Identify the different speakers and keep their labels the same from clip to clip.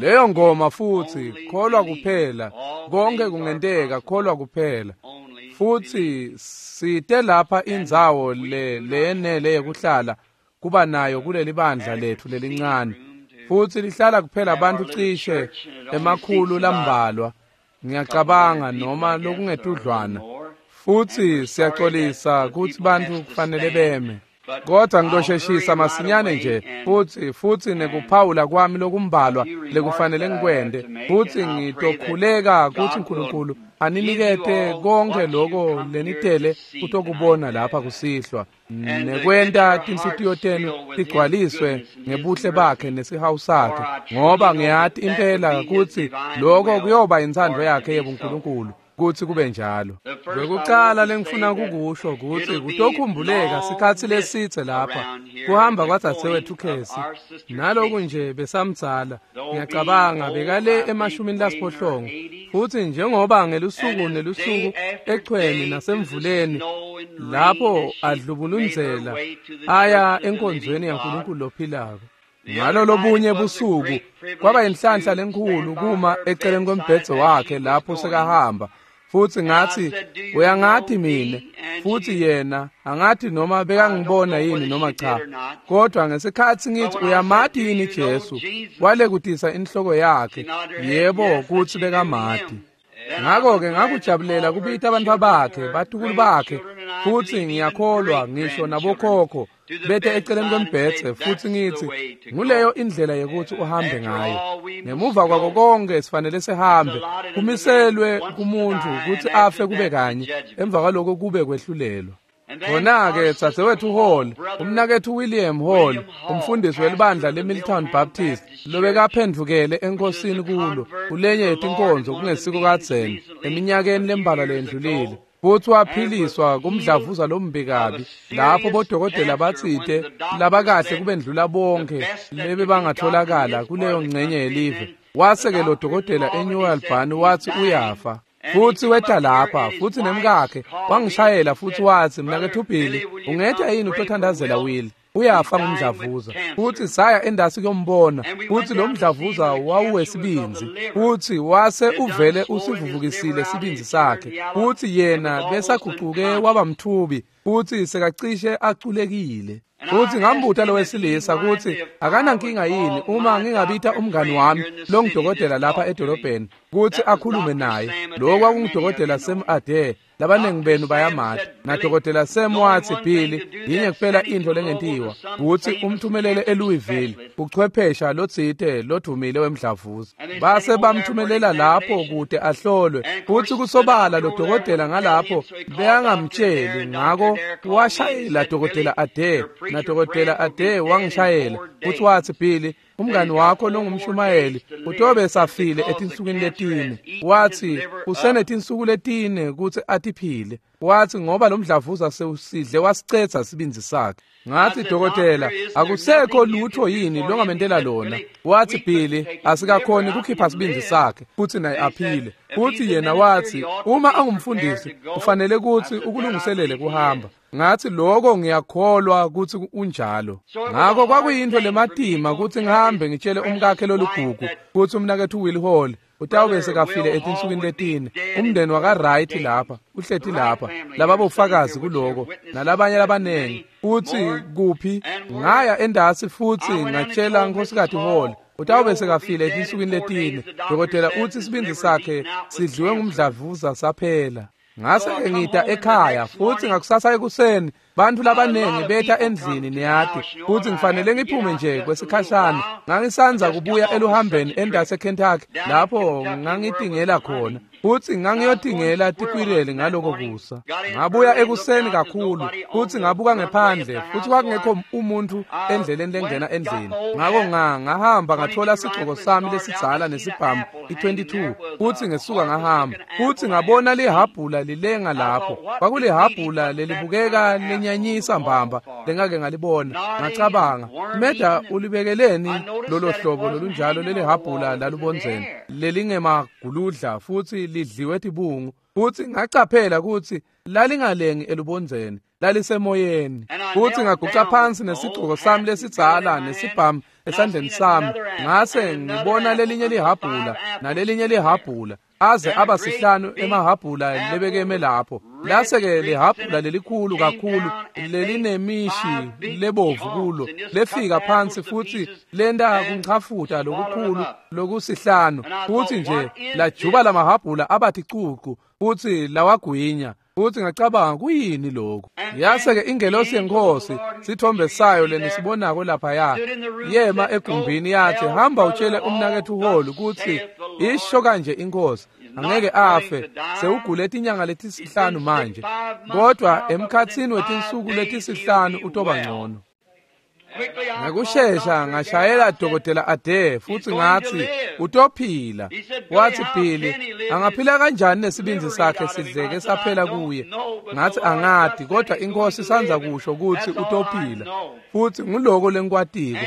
Speaker 1: Leyo ngoma futhi kholwa kuphela, konke kungenteka, kholwa kuphela. Futhi site lapha indzawo le leyenele yekuhlala kuba nayo kuleli bandla lethu lelincane. Futhi lihlala kuphela abantu cishe emakhulu lambalwa, ngiyacabanga, noma lokungetudlwana. Futhi siyaxolisa kutsi bantfu kufanele beme. Kodwa ngitosheshisa masinyane nje futhi nekuphawula kwami lokumbalwa lekufanele ngikwente, futhi ngitokhuleka kutsi uNkulunkulu aninikete konke lokho lenitele kutokubona lapha kusihlwa, nekwenta tinhlitiyo tenu tigcwaliswe ngebuhle bakhe nesihawu sakhe, ngoba ngiyati impela kutsi lokho kuyoba intsandvo yakhe yebuNkulunkulu kutsi kube njalo. Kwekucala lengifuna kukusho kutsi kutokhumbuleka sikhatsi lesitse lapha kuhamba kwadzadzewethu Casey, naloku nje besamdzala, ngiyacabanga bekale 80, futhi njengoba ngelusuku nelusuku echweni nasemvuleni lapho adlubulundzela aya enkonzweni yaNkulunkulu lophilako. Ngalo lobunye busuku kwaba inhlanhla lenkhulu kuma eceleni kombhedze wakhe lapho sekahamba, futhi ngathi, uyangati mine? Futhi yena angathi noma bekangibona yini noma cha, kodwa ngesikhatsi ngithi uyamati yini Jesu, walekutisa inhloko yakhe, yebo, kutsi bekamati. Ngakho-ke ngakujabulela kubita abantwana bakhe, batukulu bakhe, futhi ngiyakholwa ngisho nabokhokho bete eceleni kombhedze, futhi ngithi nguleyo indlela yekuthi uhambe ngayo. Ngemuva kwako konke sifanele sihambe, kumiselwe kumuntu kutsi afe kube kanye, emva kwaloko kube kwehlulelwa. Khona-ke dzadzewethu Hall, umnaketfu William Hall, umfundisi welibandla leMilltown Baptist, lobekaphendvukele enkosini kulo kulenye yetinkonzo kungesiko kadzeni eminyakeni lembalwa leyendlulile, futhi waphiliswa kumdlavuza lombi kabi, lapho bodokotela batsite labakahle kubendlula bonke lebebangatholakala kuleyo ngcenye yelive. Wase-ke lo dokotela eNew Albany wathi uyafa. Futhi weta lapha, futhi nemkakhe wangishayela futhi wathi, mnaketfu Billy, ungeta yini utothandazela Will? Uyafa ngumdlavuza. Futhi saya endasi kuyombona, futhi lo mdlavuza wawuwesibindzi, futhi wase uvele usivuvukisile sibindzi sakhe, futhi yena besagucuke waba mthubi, futhi sekacishe aculekile. Futhi ngambuta lo wesilisa kutsi akanankinga yini uma ngingabita umngani wami longudokotela lapha edolobheni kutsi akhulume naye. Lo kwakungudokotela Sam Adair, labaningi benu bayamati. Nadokotela Sam watsi, Billy, yinye kuphela intfo lengentiwa kutsi umthumelele eLouisville uchwephesha lotsite lodvumile wemdlavuza. Base bamthumelela lapho kute ahlolwe, futsi kusobala lo dokotela ngalapho bekangamtsheli, ngako washayela dokotela Adair, nadokotela Adair wangishayela futsi watsi, Billy, umngani wakho longumshumayeli utobe safile etinsukwini letine. Wathi usenetinsuku letine kutsi atiphile. Wathi ngoba lo mdlavuza sewusidle wasicetha sibindzi sakhe. Ngathi, dokotela, akusekho lutho yini longamentela lona? Wathi, Billy, asikakhoni kukhipha sibindzi sakhe futhi naye aphile. Futhi yena wathi, uma angumfundisi ufanele kutsi ukulungiselele kuhamba. Ngathi, lokho ngiyakholwa kutsi unjalo. Ngakho kwakuyintfo lematima kutsi ngihambe ngitshele umkakhe lolugugu kutsi umnaketfu Will Hall utawube sekafile etinsukwini letine. Umndeni waka-Wright lapha uhleti lapha, lababofakazi kuloko nalabanye labanengi. Utsi kuphi? Ngaya endasi futhi ngatshela Nkhosikati Hall utawube sekafile etinsukwini letine. Dokotela utsi sibindzi sakhe sidliwe ngumdlavuza saphela. Ngase-ke ngita ekhaya, futhi ngakusasa ekuseni bantfu labanengi beta endlini, niyati, futhi ngifanele ngiphume nje kwesikhashana. Ngangisandza kubuya eluhambeni endasi eKentucky lapho ngangitingela khona, futhi ngangiyotingela tikwireli ngaloko kusa. Ngabuya ekuseni kakhulu, futhi ngabuka ngephandle, futhi kwakungekho umuntu endleleni lengena endlini. Ngako ngahamba ngathola sigcoko sami lesidzala nesibhamu i-22, futhi ngesuka ngahamba, futhi ngabona lihabhula lilenga lapho. Kwakulihhabhula lelibukeka lenyanyisa mbamba lengake ngalibona. Ngacabanga, Meda ulibekeleni lolo hlobo lolunjalo lelihabhula lalubondzeni lelingemaguludla futhi lidliwe tibungu. Futhi ngacaphela kutsi lalingalengi elubondzeni, lalisemoyeni. Futhi ngaguca phansi nesigcoko sami lesidzala nesibhamu esandleni sami, ngase ngibona lelinye lihhabhula nalelinye lihhabhula, aze aba sihlanu emahhabhula lebekeme lapho. Lase-ke lihhabhula lelikhulu kakhulu lelinemishi lebovu kulo lefika phansi futhi lenta kunchafuta lokukhulu lokusihlanu, futhi nje lajuba lamahhabhula abathi cucu futhi lawagwinya. Futhi ngacabanga, kuyini lokhu? Yase-ke ingelosi yenkosi, sithombe sayo lenisibonako laphaya, yema egumbini yathi, hamba utshele umnaketfu Hall ukuthi isho kanje inkosi, angeke afe, sewugule tinyanga letisihlanu manje, kodwa emkhatsini wetinsuku letisihlanu utoba ngcono. Ngekushesha ngashayela Dokotela Ade futhi ngathi utophila. Wathi, Billy, angaphila kanjani nesibindzi sakhe sidleke saphela kuye? Ngathi, angati, kodwa inkosi sanza kusho ukuthi utophila, futhi nguloko lengikwatiko,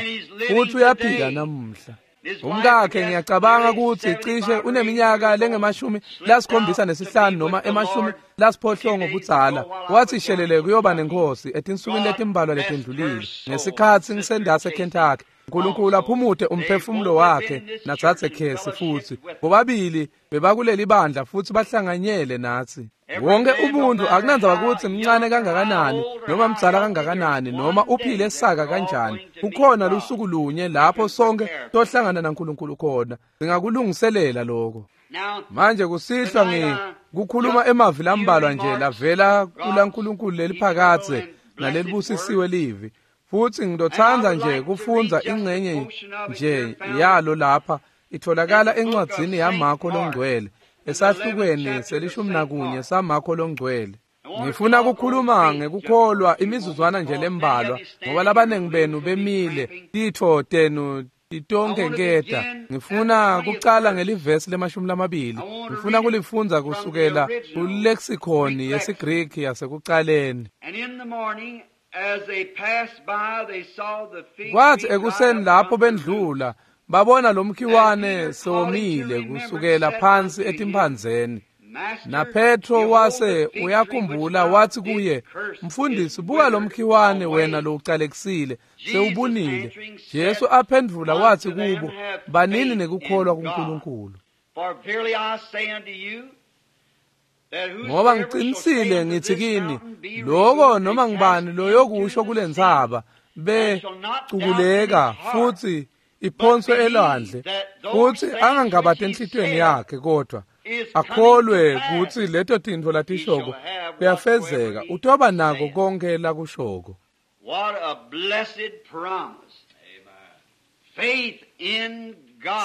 Speaker 1: futhi uyaphila namuhla. Umkakhe ngiyacabanga ukuthi cishe uneminyaka lengemashumi 75 noma 80 budzala. Wathi shelele kuyoba nenkosi etinsukwini letimbalwa letindlulile ngesikhatsi ngisendase Kentucky. uNkulunkulu aphumute umphefumulo wakhe natsatse Khesi, futhi bobabili bebakuleli bandla futhi bahlanganyele nathi. Wonke umuntu akunandzaba ukuthi mncane kangakanani noma mdzala kangakanani noma uphile saka kanjani, kukhona lusuku lunye lapho sonke tohlangana naNkulunkulu khona. Singakulungiselela lokho. Manje kusihlwa ngikukhuluma emavi lambalwa nje lavela kulaNkulunkulu leliphakadze nalelibusisiwe livi, futhi ngidothanda nje kufundza ingcenye nje yalo lapha. Itholakala encwadzini yaMarko longcwele, esahlukweni 11 saMarko longcwele. Ngifuna ukukhuluma ngekukholwa imizuzwana nje lembalwa, ngoba labanengi benu bemile, titfo tenu titonke nketa. Ngifuna kucala ngelivesi le-20. Ngifuna kulifundza kusukela kulexicon yesiGreki yasekucaleni. Kwathi ekuseni lapho bendlula, babona lo mkhiwane sewomile kusukela phansi etimphandzeni. NaPetro wase uyakhumbula wathi kuye, Mfundisi, buka lo mkhiwane wena lowucalekisile sewubunile. Jesu aphendvula wathi kubo, banini nekukholwa kuNkulunkulu. Ngoba ngicinisile ngithi kini, loko noma ngibani loyokusho kule ntsaba becukuleka futhi iphonswe elwandle, futhi angangabati enhlitiyweni yakhe, kodwa akholwe kutsi leto tintfo latishoko kuyafezeka, utoba nako konke lakushoko.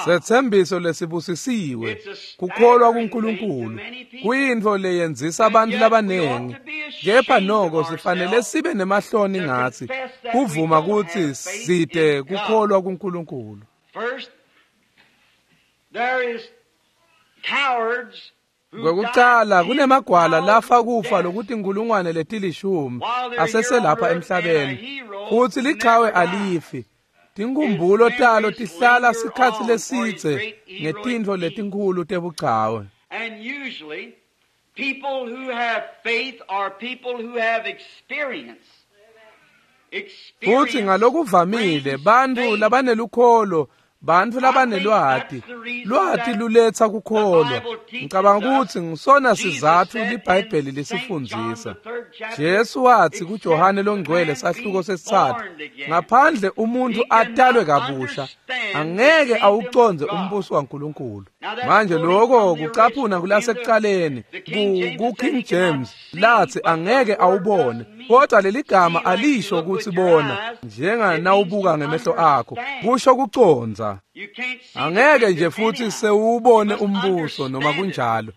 Speaker 1: Setsembiso lesibusisiwe, kukholwa kuNkulunkulu, kuyintfo leyenzisa abantu labanengi. Kepha noko sifanele sibe nemahloni ngatsi kuvuma kutsi site kukholwa kuNkulunkulu. Kwekucala kunemagwala lafa kufa lokuthi inkulungwane leti-10 aseselapha emhlabeni, futsi lichawe alifi. Tinkhumbulo talo tihlala sikhatsi lesidze ngetintfo letinkhulu tebuchawe. Futsi ngalokuvamile bantfu labanelukholo, bantfu labanelwati, lwati luletsa kukholwa. Ngicabanga kutsi ngisona sizatfu liBhayibheli lisifundzisa. Jesu wathi kuJohane longcwele sahluko 3, ngaphandle umuntu atalwe kabusha angeke awucondze umbuso waNkulunkulu. Manje lokho kucaphuna kulasekucaleni ku-King James lathi angeke awubone, kodwa leligama alisho ukuthi bona njenga nawubuka ngemehlo akho, kusho kucondza. Angeke nje futhi sewubone umbuso noma kunjalo,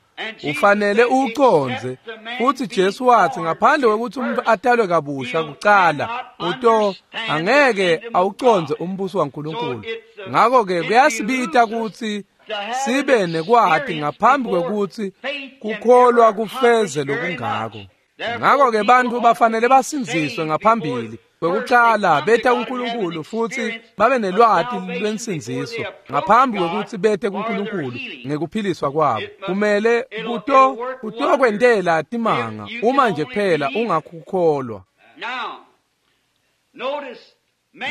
Speaker 1: ufanele uwucondze. Futhi Jesu wathi ngaphandle kwekuthi umuntu atalwe kabusha kucala, uto angeke awucondze umbuso waNkulunkulu. Ngakho-ke kuyasibita ukuthi sibe nekwati ngaphambi kwekuthi kukholwa kufeze lokungako. Ngakho-ke bantfu bafanele basindziswe ngaphambili kwekucala beta kuNkulunkulu futhi babe nelwati lwensindziso ngaphambi kwekuthi bete kuNkulunkulu ngekuphiliswa kwabo. Kumele kutokwentela timanga uma nje kuphela ungakhukholwa.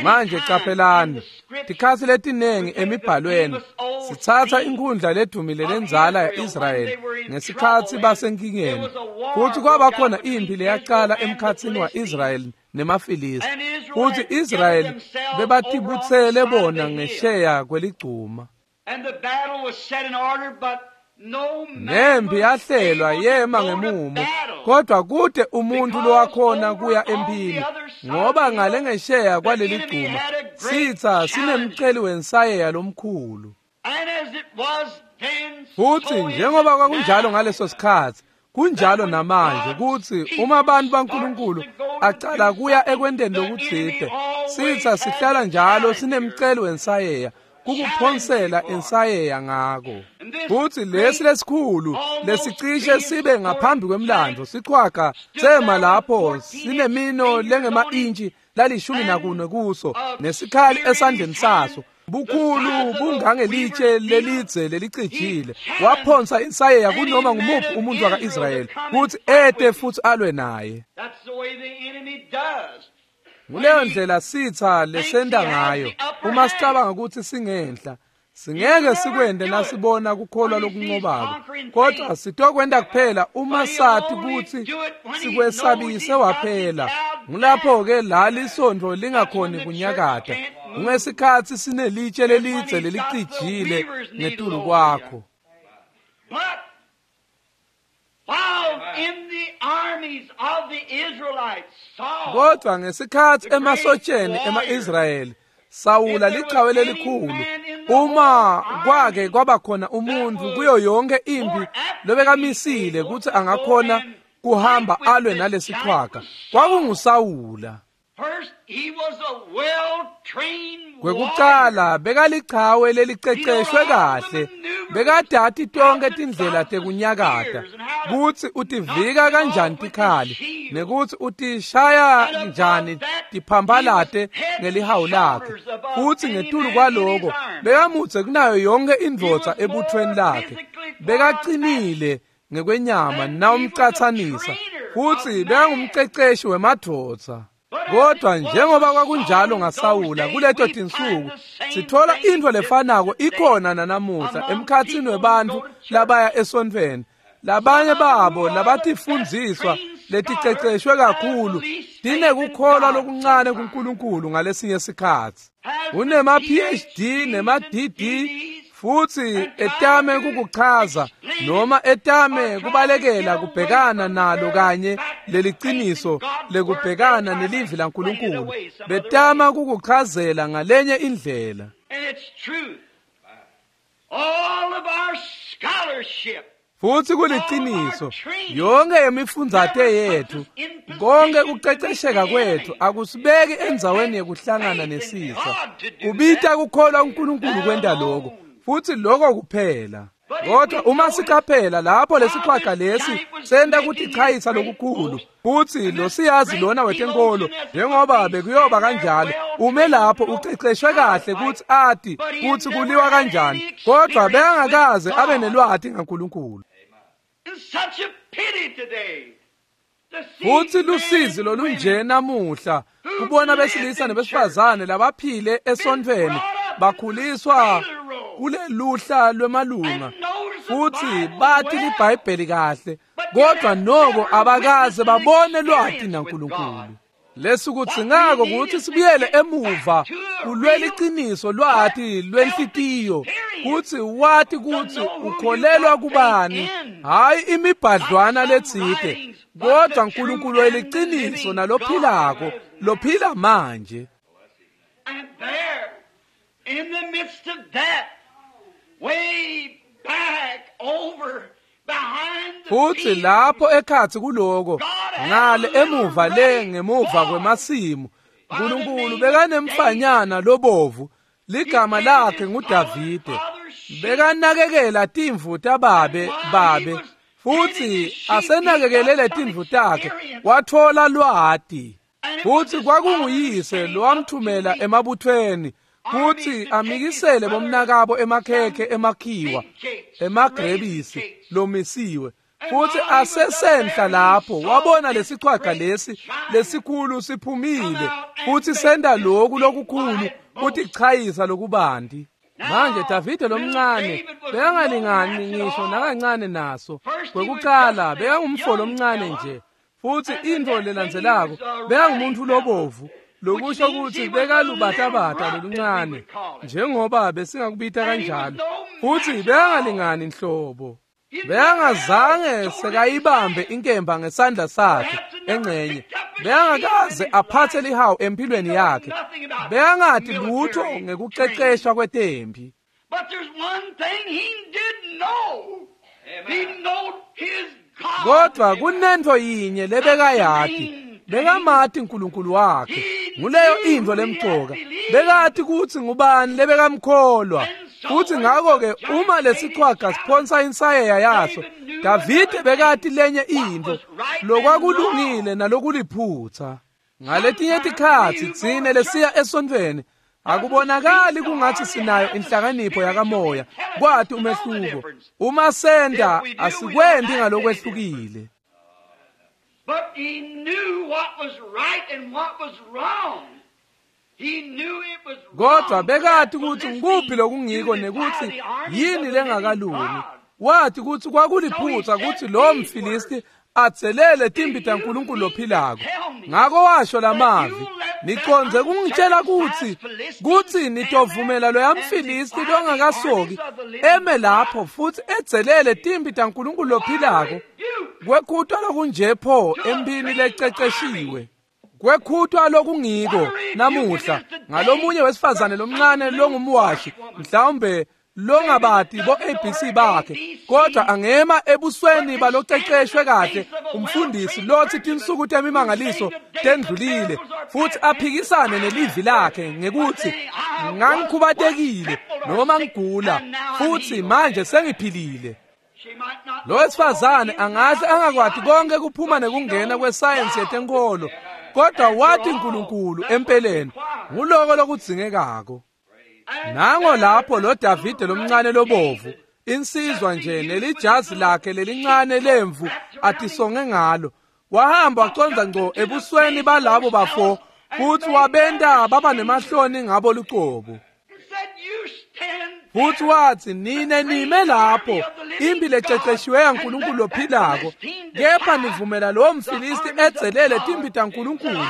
Speaker 1: Manje caphelani, tikhatsi letinengi emibhalweni sitsatsa inkhundla ledumile lendzala ya-Israyeli ngesikhatsi basenkingeni, futsi kwaba khona imphi leyacala emkhatsini wa-Israyeli nemaFilisti, futsi Israyeli bebatibutsele bona ngesheya kweligcuma. Nempi yahlelwa yema ngemumo, kodwa kute umuntu lowakhona kuya emphini, ngoba ngale ngesheya kwaleligcuma sitsa sinemceli wensayeya lomkhulu. Futsi njengoba kwakunjalo ngaleso sikhatsi, kunjalo namanje kutsi uma abantu baNkulunkulu acala kuya ekwenteni lokutsite, sitsa sihlala njalo sinemceli wensayeya kukuphonsela insayeya ngako. Futsi lesi lesikhulu lesicishe sibe ngaphambi kwemlandvo sichwaga sema lapho sinemino lengema-intshi la-14 kuso nesikhali esandleni saso, bukhulu bungangelitshe lelidze lelicijile. Waphonsa insayeya kunoma ngumuphi umuntu waka-Israyeli kutsi ete futsi alwe naye. Nguleyo ndlela sitsa lesenta ngayo uma sicabanga ukuthi singenhla. Singeke sikwente nasibona kukholwa lokunqobako, kodwa sitokwenta kuphela uma sati kutsi sikwesabise waphela. Ngulapho-ke la lisontfo lingakhoni kunyakata, kungesikhatsi sinelitshe lelidze lelicijile ngetulu kwakho. Kodwa ngesikhatsi emasotsheni ema-Israyeli, Sawula lichawe lelikhulu, uma kwake kwaba khona umuntu kuyo yonke impi lobekamisile kutsi angakhona kuhamba alwe nalesichwaga, kwakunguSawula. Kwekucala bekalichawe leliceceshwe kahle, bekadati tonke tindlela tekunyakata, kutsi utivika kanjani tikhali nekutsi utishaya njani tiphampalate ngelihawu lakhe. Futsi ngetulu kwaloko bekamudze kunayo yonke indvodza ebuthweni lakhe, bekacinile ngekwenyama nawumcatsanisa, futsi bekangumceceshi wemadvodza. Kodwa njengoba kwakunjalo ngaSawula kuleto tinsuku, sithola intfo lefanako ikhona nanamuhla emkhatsini webantfu labaya esontfweni. Labanye babo labatifundziswa leticeceshwe kakhulu tinekukholwa lokuncane kuNkulunkulu ngalesinye sikhatsi. Unema PhD nema DD futsi etame kukuchaza noma etame kubalekela kubhekana nalo kanye leliciniso lekubhekana nelivi laNkulunkulu, betama kukuchazela ngalenye indlela. Futsi kuliciniso, yonke imifundzate yethu, konke kucecesheka kwethu akusibeki endzaweni yekuhlangana nesitsa. Kubita kukholwa uNkulunkulu kwenta lokho, futsi lokho kuphela. Kodwa uma sicaphela lapho lesichwaga lesi senta kutichayisa lokukhulu, futsi lo siyazi lona wetenkolo njengoba bekuyoba kanjalo, ume lapho uceceshwe kahle kutsi ati kutsi kuliwa kanjani, kodwa bekangakaze abe nelwati ngaNkulunkulu. Futsi lusizi lolunje namuhla kubona besilisa nebesifazane labaphile esontfweni bakhuliswa kuleluhla lwemalunga, futsi bati liBhayibheli kahle, kodwa noko abakaze babone lwati naNkulunkulu. Lesikudzingako kutsi sibuyele emuva kulwela liciniso lwati lwenhlitiyo, kutsi wati kutsi ukholelwa kubani, hhayi imibhadlwana letsite, kodwa uNkulunkulu weliciniso nalophilako, lophila manje.
Speaker 2: In the midst of that, way back over behind the
Speaker 1: Futsi lapho ekhatsi kuloko, ngale emuva le ngemuva kwemasimu, uNkulunkulu bekanemfanyana lobovu, ligama lakhe nguDavide. Bekanakekela timvu tababe babe, futsi asenakekele letimvu takhe, watfola lwati. Futsi kwakunguyise lowamthumela emabuthweni kutsi amikisele bomnakabo emakhekhe emakhiwa, emagrebisi lomisiwe. Futhi asesenhla lapho wabona lesichwaga lesi lesikhulu siphumile futhi senda lokhu lokukhulu kutichayisa lokubanti. Manje Davide lomncane bekangalingani ngisho nakancane naso. Kwekuqala bekangumfo lomncane nje, futhi intfo lelandzelako bekangumuntu lobovu, lokusho ukuthi bekalubatabata loluncane njengoba besingakubita kanjalo, futhi bekangalingani nhlobo. Bekangazange sekayibambe inkemba ngesandla sakhe engcenye, bekangakaze aphathe lihawu empilweni yakhe, bekangati lutho ngekuceceshwa kwetempi. Kodwa kunento yinye lebekayati, bekamati uNkulunkulu wakhe. Nguleyo intfo lemcoka. Bekati kutsi ngubani lebekamkholwa. Futhi ngakho-ke uma lesichwaga siphonsa insayeya yaso, Davide bekati lenye intfo lokwakulungile nalokuliphutsa. Ngaletinye tikhatsi tsine lesiya esontfweni akubonakali kungathi sinayo inhlakanipho yakamoya kwati umehluko. Uma senta asikwendi ngalokwehlukile.
Speaker 2: But he knew what was right and what was wrong.
Speaker 1: Kodwa bekati kutsi ngikuphi lokungiko nekutsi yini lengakalungi. Wathi kutsi kwakuliphutsa kutsi lo mFilisti atselele timpi taNkulunkulu lophilako. Ngako washo lamavi, nicondze kungitshela kutsi nitovumela loya mFilisti longakasoki eme lapho futhi edzelele timpi taNkulunkulu lophilako. Kwekhutwa lokunje pho empini lececeshiwe. Kwekhutwa lokungiko namuhla ngalomunye wesifazane lomncane longumwashi, mhlawumbe longabati bo ABC bakhe, kodwa angema ebusweni baloceceshwe kahle umfundisi lothi tinsuku temimangaliso tendlulile, futhi aphikisane nelivi lakhe ngekuthi ngangikhubatekile noma ngigula futhi manje sengiphilile. Lo wesifazane angahle angakwati konke kuphuma nekungena kwesayensi yetenkolo, kodwa wathi uNkulunkulu empeleni nguloko lokudzingekako. Nango lapho lo Davide lomncane lobovu, insizwa nje nelijazi lakhe lelincane lemvu atisonge ngalo, wahamba wacondza ngco ebusweni balabo bafo futhi wabenta baba nemahloni ngabo lucobo. Futhi wathi, nine nime lapho impi lececeshiwe yaNkulunkulu lophilako, kepha nivumela lowo mFilisti edzelele timpi taNkulunkulu.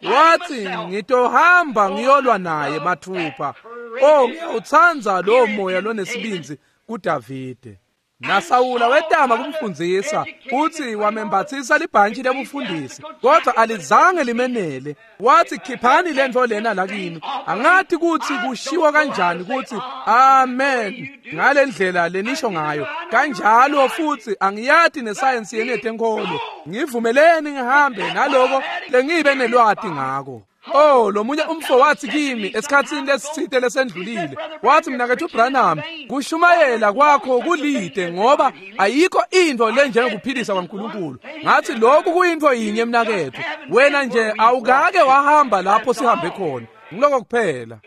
Speaker 1: Wathi, ngitohamba ngiyolwa naye mathupha. Oh, ngiyawutsandza lowo moya lonesibindzi kuDavide. NaSawula wetama kumfundzisa futhi wamembathisa libhantshi lebufundisi, kodwa alizange limenele. Wathi, khiphani lentfo lena lakini. Angathi kutsi kushiwo kanjani kutsi amen ngale ndlela lenisho ngayo kanjalo, futhi angiyati nesayensi yenu yetenkolo. Ngivumeleni ngihambe naloko lengibe nelwati ngako. Oh, lomunye umfo wathi kimi esikhatsini lesitsite lesendlulile, wathi, mnaketfu Branham, kushumayela kwakho kulide ngoba ayikho intfo lenjengokuphilisa kwaNkulunkulu. Ngathi, lokhu kuyintfo yinye mnaketfu, wena nje awukake wahamba lapho sihambe khona. Ngiloko kuphela.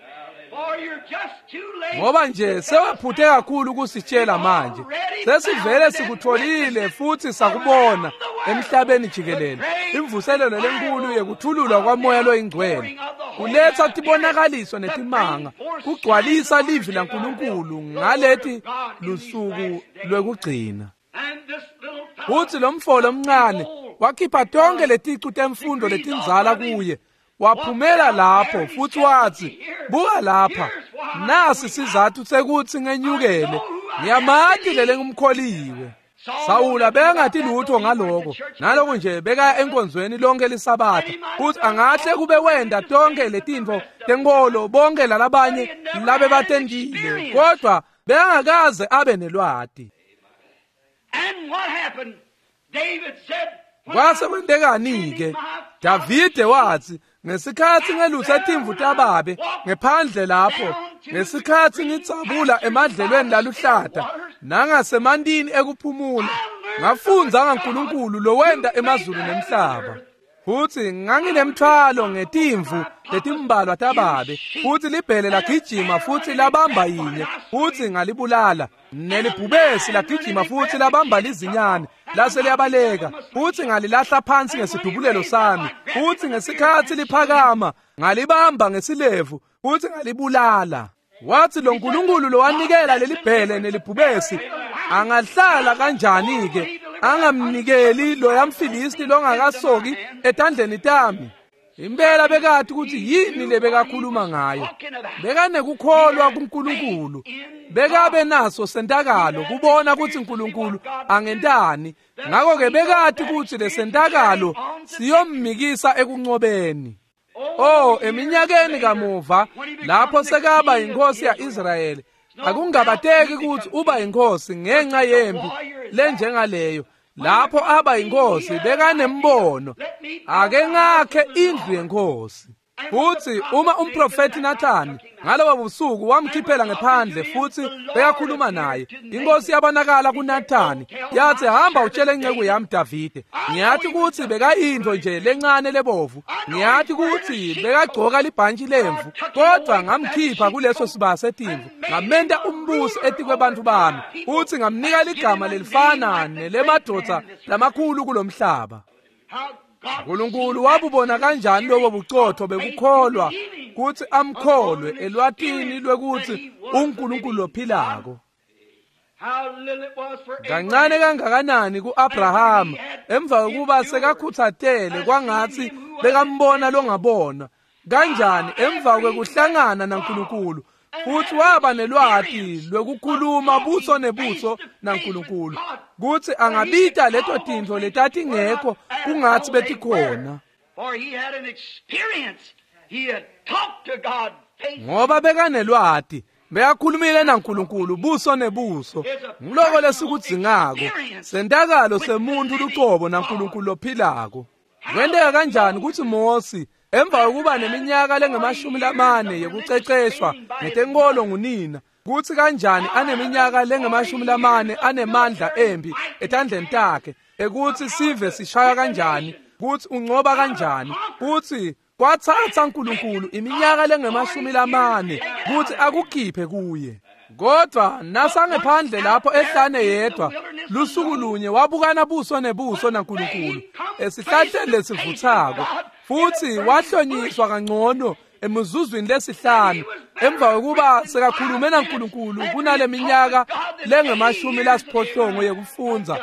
Speaker 1: Ngoba nje sewaphuthe kakhulu kusitshela manje. Sesivele sikutholile futhi sakubona emhlabeni jikelele. Imvuselelo lenkulu yekuthululwa kwamoya loyingcwele kuletha tibonakaliso netimanga, kugcwalisa livi laNkulunkulu ngaleti lusuku lwekugcina. Futhi lo mfo lomncane wakhipha tonke leticu temfundo letindzala kuye, waphumela lapho futhi wathi, buka lapha, nasi sizathu sekuthi ngenyukele, ngiyamati lele ngumkholiwe. Sawula bekangati lutho ngaloko, naloko nje bekaya enkonzweni lonke lisabatha, futhi angahle kube wenda tonke letintfo tenkolo bonke lalabanye labe batentile, kodwa bekangakaze abe nelwati. Kwase kwentekani-ke? Davide wathi, ngesikhatsi ngelutsa timvu tababe ngephandle lapho, ngesikhatsi ngitsabula emadlelweni laluhlata nangasemantini ekuphumula, ngafundza ngaNkulunkulu lowenta emazulu nemhlaba. Futsi nganginemthwalo ngetimvu letimbalwa tababe, futsi libhele lagijima futsi labamba yinye, futsi ngalibulala. Nelibhubesi lagijima futsi labamba lizinyane, lase liyabaleka, futsi ngalilahla phansi ngesidubulelo sami, futsi ngesikhatsi liphakama ngalibamba ngesilevu futsi ngalibulala. Wathi lo Nkulunkulu lowanikela lelibhele nelibhubesi angahlala kanjani ke angamnikeli loya mFilisti longakasoki etandleni tami? Impela bekati ukuthi yini lebekakhuluma ngayo. Bekanekukholwa kuNkulunkulu, bekabe naso sentakalo kubona ukuthi uNkulunkulu angentani. Ngakho-ke bekati ukuthi lesentakalo siyommikisa ekunqobeni. Oh, eminyakeni kamuva lapho sekaba inkosi ya-Israyeli, akungabateki ukuthi uba inkosi ngenxa yempi lenjengaleyo. Lapho aba inkosi bekanembono, ake ngakhe indlu yenkosi. Futhi uma umprofethi Nathani ngalobo busuku wamkhiphela ngephandle futhi bekakhuluma naye, inkosi yabonakala kuNathani yathi, hamba utshele inceku yami Davide, ngiyathi ukuthi bekayinto nje lencane lebovu, ngiyathi ukuthi bekagcoka libhantshi lemvu, kodwa ngamkhipha kuleso sibaya setimvu ngamenta umbusi etikwebantu bami, futhi ngamnika ligama lelifana nelemadvodza lamakhulu kulomhlaba. uNkulunkulu wabubona kanjani lobo bucotho bekukholwa kuthi amkholwe elwatini lwekuthi uNkulunkulu lophilako? Kancane kangakanani kuAbraham emva kokuba sekakhuthatele kwangathi bekambona longabona, kanjani emva kwekuhlangana naNkulunkulu futhi waba nelwati lwekukhuluma buso nebuso naNkulunkulu, kuthi angabita leto tintfo letatingekho kungathi betikhona. Ngoba bekanelwati, bekakhulumile naNkulunkulu buso nebuso. Ngiloko lesikudzingako, sentakalo semuntu lucobo naNkulunkulu lophilako. Kwenteka kanjani ukuthi Mosi emva kokuba neminyaka lengamashumi 40 yekuceceshwa ngetenkolo ngunina, kuthi kanjani aneminyaka lengamashumi 40 anemandla empi etandleni takhe, ekuthi sive sishaya kanjani, kuthi uncoba kanjani, kuthi kwatsatsa uNkulunkulu iminyaka lengamashumi 40 kuthi akukhiphe kuye. Kodwa nasangephandle lapho ehlane yedwa, lusuku lunye wabukana buso nebuso naNkulunkulu esihlahleni lesivuthako, futhi wahlonyiswa kangcono emizuzwini lesihlanu emva kokuba sekakhulume naNkulunkulu kunale minyaka lengamashumi 8 yekufundza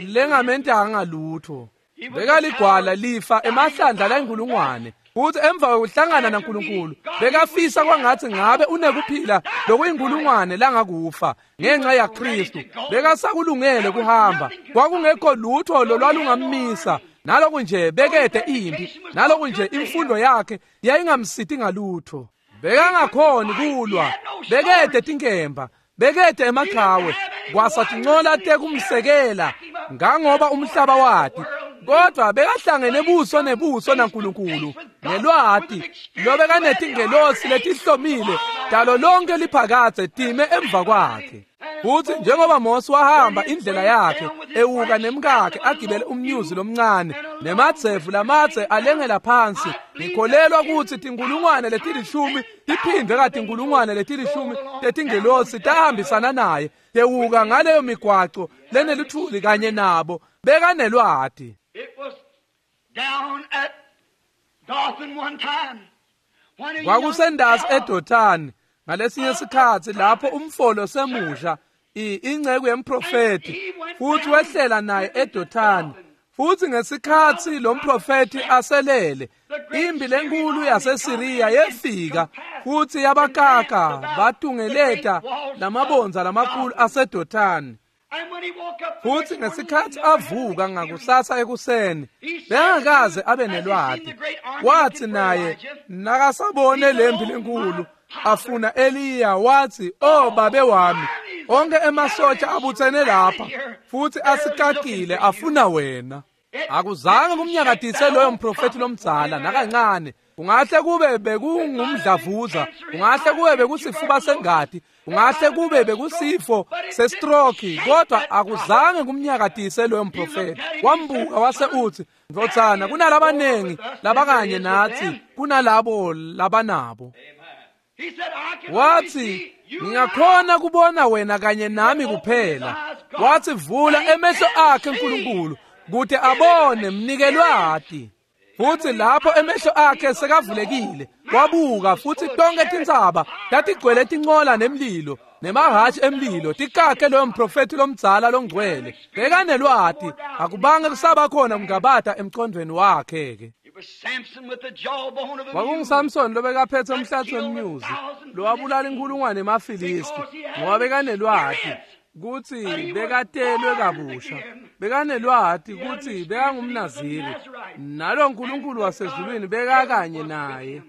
Speaker 1: lengamentanga lutho. Bekaligwala lifa emahlandla layinkulungwane, futhi emva kokuhlangana naNkulunkulu bekafisa kwangathi ngabe unekuphila lokuyinkulungwane langakufa ngenxa yaKristu. Bekasakulungele kuhamba, kwakungekho lutho lolwalungammisa. Naloku nje bekede impi, naloku nje imfundo yakhe yayingamsiti ngalutho, bekangakhoni kulwa, bekede tinkemba, bekede emaqhawe, kwasatincola tekumsekela ngangoba umhlaba wati, kodwa bekahlangene buso nebuso naNkulunkulu ngelwati lobekanetingelosi letihlomile dalo lonke liphakadze time emva kwakhe. Futhi njengoba Mose wahamba indlela yakhe ewuka nemkakhe agibele umnyuzi lomncane nemadzevu lamadze alengela phansi, ngikholelwa ukuthi 10,000 tiphindwe ka-10,000 tetingelosi tahambisana naye tewuka ngaleyo migwaco leneluthuli kanye nabo. Bekanelwati. Kwakusendasi eDothani ngalesinye isikhatsi lapho umfolo semusha inceku yemprofethi, futhi wehlela naye eDothani. Futhi ngesikhatsi lo mprofethi aselele, impi lenkulu yaseSiriya yefika futhi yabakaka batungeleta lamabondza lamakhulu aseDothani. Futhi ngesikhatsi avuka ngakusasa ekuseni, bekangakaze abe nelwati. Wathi naye nakasabone lempi lenkulu afuna Eliya, wathi, "Oh babe wami, onke emasotsha abuthene lapha futhi asikakile afuna wena." Akuzange kumnyakadise loyo mprofethi lomdzala nakancane. Kungahle kube bekungumdlavuza, kungahle kube bekusifuba sengati, Kungahle kube bekusifo sestroke, kodwa akuzange kumnyakatise loyo mprofeti. Wambuka wase uthi, "Ndvodzana, kunalabanengi labakanye nathi kunalabo labanabo." Wathi, "Ngingakhona kubona wena kanye nami kuphela." Wathi, "Vula emehlo akhe uNkulunkulu kude abone, mnike lwati." Futhi lapho emehlo akhe sekavulekile, wabuka futhi tonke tintsaba tatigcwele tincola nemlilo nemahhashi emlilo tikakhe loyo mprofeti lomdzala longcwele. Bekanelwati, akubange kusaba khona kungabata emcondvweni wakhe ke. KwakunguSamson lobekaphethe umhlatsi wemnyuzi lowabulala inkhulungwane emaFilisti, ngoba bekanelwati kutsi bekatelwe kabusha, bekanelwati kutsi bekangumNaziri, nalo nkulunkulu wasezulwini bekakanye naye.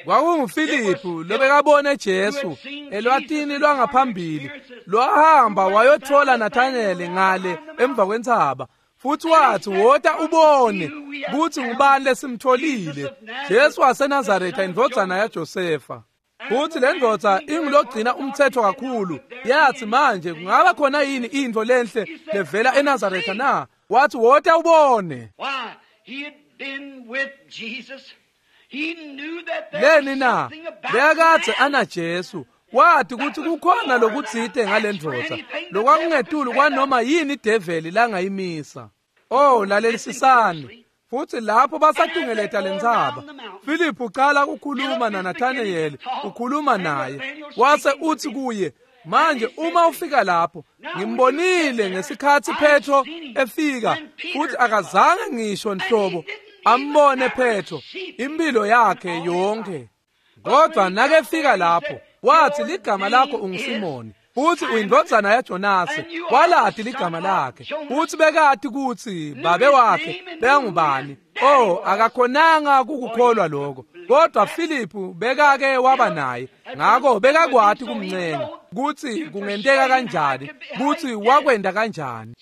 Speaker 1: KwakunguFiliphu lobekabone Jesu elwatini lwangaphambili, lwahamba wayothola Nathaneli ngale emva kwentsaba, futhi wathi, "Wota ubone kutsi ngubani lesimtholile, Jesu waseNazaretha, indvodzana yaJosefa." Futhi le ndvodza ingulogcina umthetho kakhulu, yathi, "Manje kungaba khona yini intfo lenhle levela eNazaretha na?" Wathi, "Wota ubone." Leni na? Bekakadze ana Jesu, wathi kutsi kukhona lokutsite ngale ndvodza lokwakungetulu kwanoma yini ideveli langayimisa. Oh, lalelisisani. Futhi lapho basatungeleta lentsaba, Philip ucala ukukhuluma naNathanayeli, ukhuluma naye. Wase uthi kuye, "Manje uma ufika lapho, ngimbonile ngesikhatsi Petro efika, futhi akazange ngisho nhlobo ambone Petro impilo yakhe yonke. Kodwa nakefika lapho, wathi, ligama lakho unguSimoni, futhi uyindvodzana yaJonase." Walati ligama lakhe, futhi bekati kutsi babe wakhe bekangubani. Oh, akakhonanga kukukholwa lokho, kodwa Philiphu bekake waba naye, ngakho bekakwati kumncenga kutsi kungenteka kanjani, kutsi wakwenda kanjani.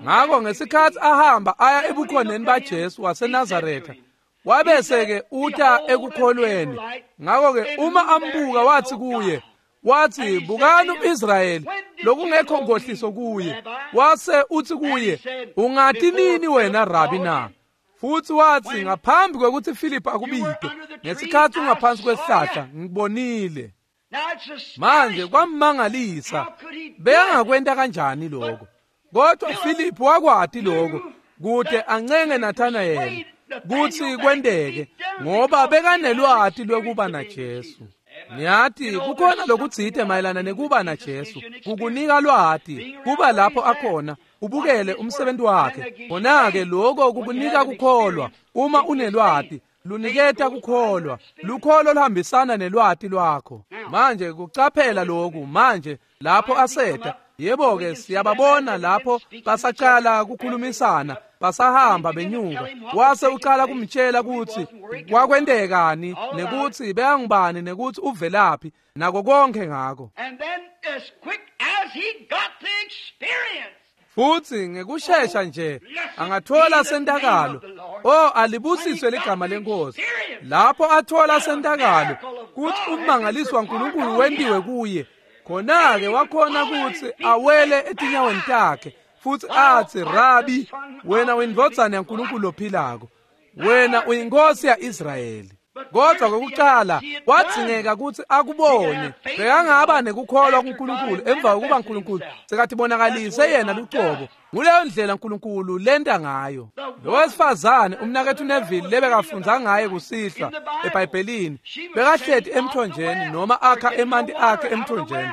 Speaker 1: Ngakho ngesikhatsi ahamba aya ebukhoneni baJesu waseNazaretha, wabese-ke uta ekukholweni. Ngakho-ke uma ambuka wathi kuye, wathi, "Bukani umIsrayeli lokungekho nkohliso kuye." Wase uthi kuye, "Ungati nini wena Rabi na?" Futhi wathi, "Ngaphambi kwekuthi Philip akubite, ngesikhatsi ungaphansi kwesihlahla, ngibonile." Manje kwammangalisa, bekangakwenta kanjani lokho? Kodwa Philip wakwati lokho kude ancenge Nathanayeli kutsi kwenteke, ngoba bekanelwati lwekuba naJesu. Niyati, kukhona lokutsite mayelana nekuba naJesu, kukunika lwati, kuba lapho akhona, ubukele umsebenzi wakhe. Khona-ke lokho kukunika kukholwa. Uma unelwati, luniketa kukholwa. Lukholo luhambisana nelwati lwakho. Manje kucaphela lokhu, manje lapho aseta, yebo-ke siyababona lapho basacala kukhulumisana, basahamba benyuka. Wase ucala kumtshela kutsi kwakwentekani, nekutsi bekangubani, nekutsi uvelaphi, nako konke ngako. Futhi ngekushesha nje angathola sentakalo. Oh, alibusiswe ligama leNkosi. Lapho athola sentakalo kutsi ummangaliso waNkulunkulu wentiwe kuye, khona-ke wakhona kutsi awele etinyaweni takhe futhi athi, "Rabi, wena uyindvodzana yaNkulunkulu lophilako, wena uyinkosi ya-Israyeli." Kodwa kokucala kwadzingeka kutsi akubone. Bekangaba nekukholwa kuNkulunkulu emva kokuba uNkulunkulu sekatibonakalise yena lucobo. Nguleyo ndlela uNkulunkulu lenta ngayo. Lo wesifazane umnaketfu Neville lebekafundza ngaye kusihlwa eBhayibhelini, bekahleti emthonjeni noma akha emanti akhe emthonjeni.